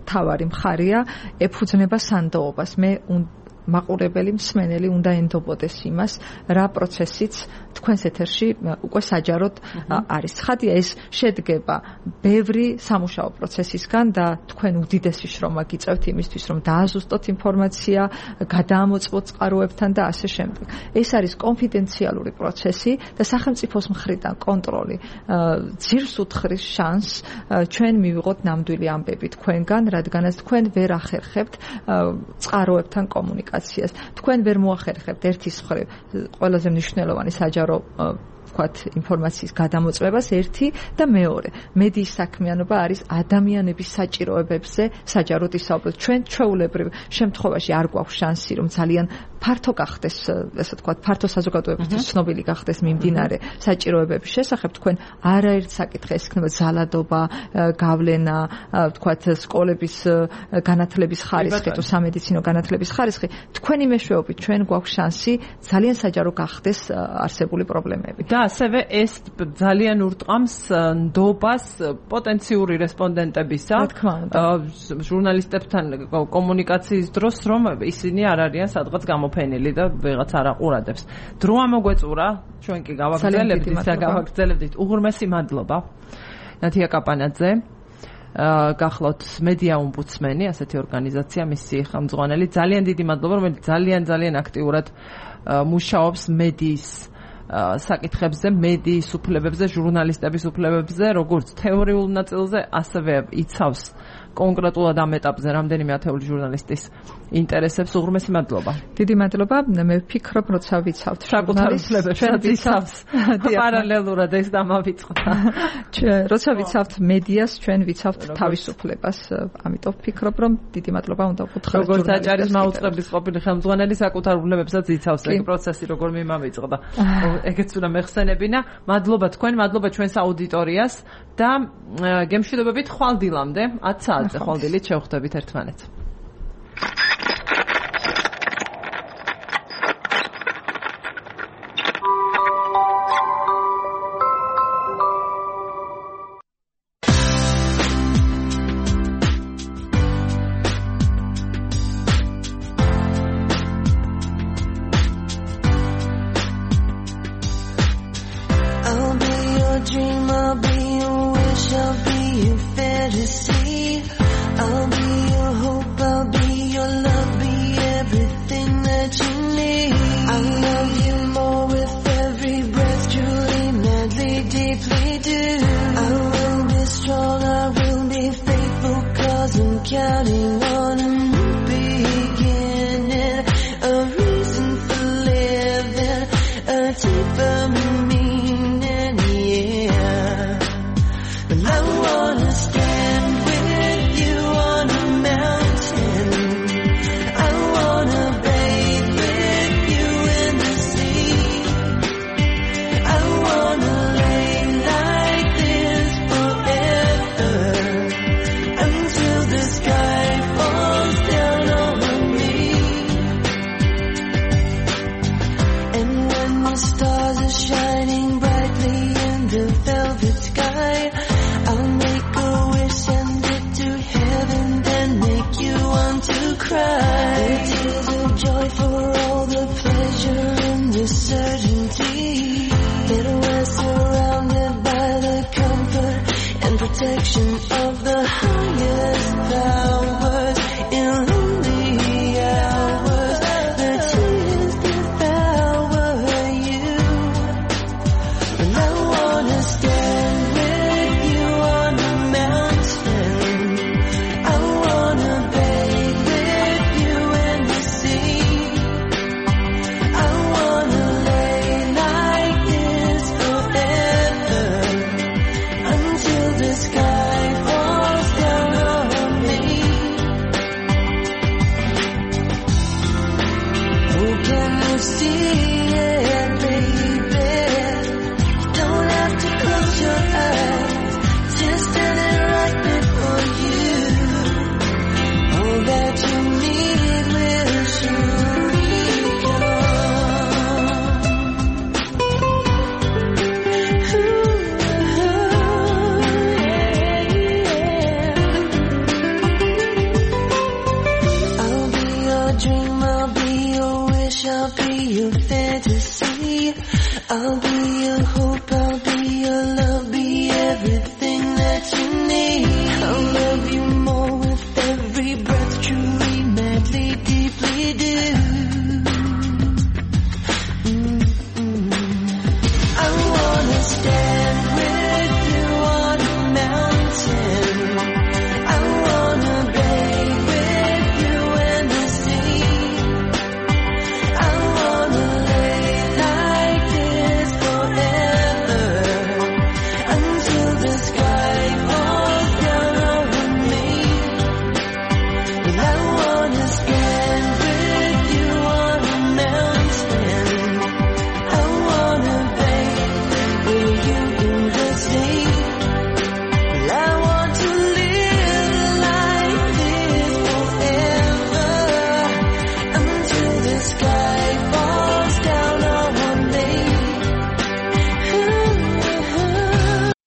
თავარი მხარია ეფუძნება სანდოობას. მე მაყურებელი მსმენელი უნდა ენდობოდეს იმას, რა პროცესიც თქვენს ეთერში უკვე საჯაროდ არის. ცხადია, ეს შედგება ბევრი სამუშაო პროცესისგან და თქვენ უდიდესი შრომა გიწევთ იმისთვის, რომ დააზუსტოთ ინფორმაცია, გადაამოწმოთ წყაროებთან და ასე შემდეგ. ეს არის კონფიდენციალური პროცესი და სახელმწიფოს მხრიდან კონტროლი ძირს უთხრის შანსს ჩვენ მივიღოთ ნამდვილი ამბები თქვენგან, რადგანაც თქვენ ვერ ახერხებთ წყაროებთან კომუნიკაციას. თქვენ ვერ მოახერხებთ ერთის მხრივ ყველაზე მნიშვნელოვანი საჯარო ვთქვათ ინფორმაციის გადამოწმებას ერთი და მეორე მედიის საქმიანობა არის ადამიანების საჭიროებებზე საჯაროდ ისაუბროთ. ჩვენ ჩვეულებრივ შემთხვევაში არ გვაქვს შანსი რომ ძალიან ფართო გახდეს, ესე ვთქვათ, ფართო საზოგადოებისთვის ცნობილი გახდეს მიმდინარე საჭიროებების შესახებ. თქვენ არაერთ საკითხს იქნება ზალადობა, გავლენა, ვთქვათ, სკოლების განათლების ხარისხი თუ სამედიცინო განათლების ხარისხი. თქვენი მეშვეობით ჩვენ გვაქვს შანსი ძალიან საჯარო გახდეს არსებული პრობლემები. და ასევე ეს ძალიან ურტყამს ნდობას პოტენციური რესპონდენტებისა ჟურნალისტებთან კომუნიკაციის დროს, რომ ისინი არ არიან სადღაც გამოფენილი და ვიღაც არ აყურადებს. დრო ამოგვეწურა, ჩვენ კი გავაგრძელებდით. უღრმესი მადლობა ნათია კაპანაძე. გახლავთ მედია ომბუდსმენი, ასეთი ორგანიზაცია, მისი ხელმძღვანელი. ძალიან დიდი მადლობა, რომელიც ძალიან აქტიურად მუშაობს მედიის საკითხებზე, მედიის უფლებებზე, ჟურნალისტების უფლებებზე, როგორც თეორიულ ნაწილზე, ასევე იცავს კონკრეტულად ამ ეტაპზე რამდენიმე ათეული ჟურნალისტის ინტერესებს. უღრმესი მადლობა. დიდი მადლობა. მე ვფიქრობ, როცა ვიცავთ საკუთარ უფლებებს, იცავს პარალელურად ეს დამავიწყდა. როცა ვიცავთ მედიას, ჩვენ ვიცავთ თავისუფლებას. ამიტომ ვფიქრობ, რომ დიდი მადლობა უნდა ვუთხრათ. როგორც აჭარის მაუწყებლის ყოფილი ხელმძღვანელი საკუთარ უფლებებსაც იცავს ეგ პროცესი როგორ მიმავიწყდა. ეგეც უნდა მეხსენებინა. მადლობა თქვენ, მადლობა ჩვენს აუდიტორიას და გემშვიდობებით ხვალ დილამდე 10 საათზე ხვალ დილით შევხვდებით ერთმანეთს. protection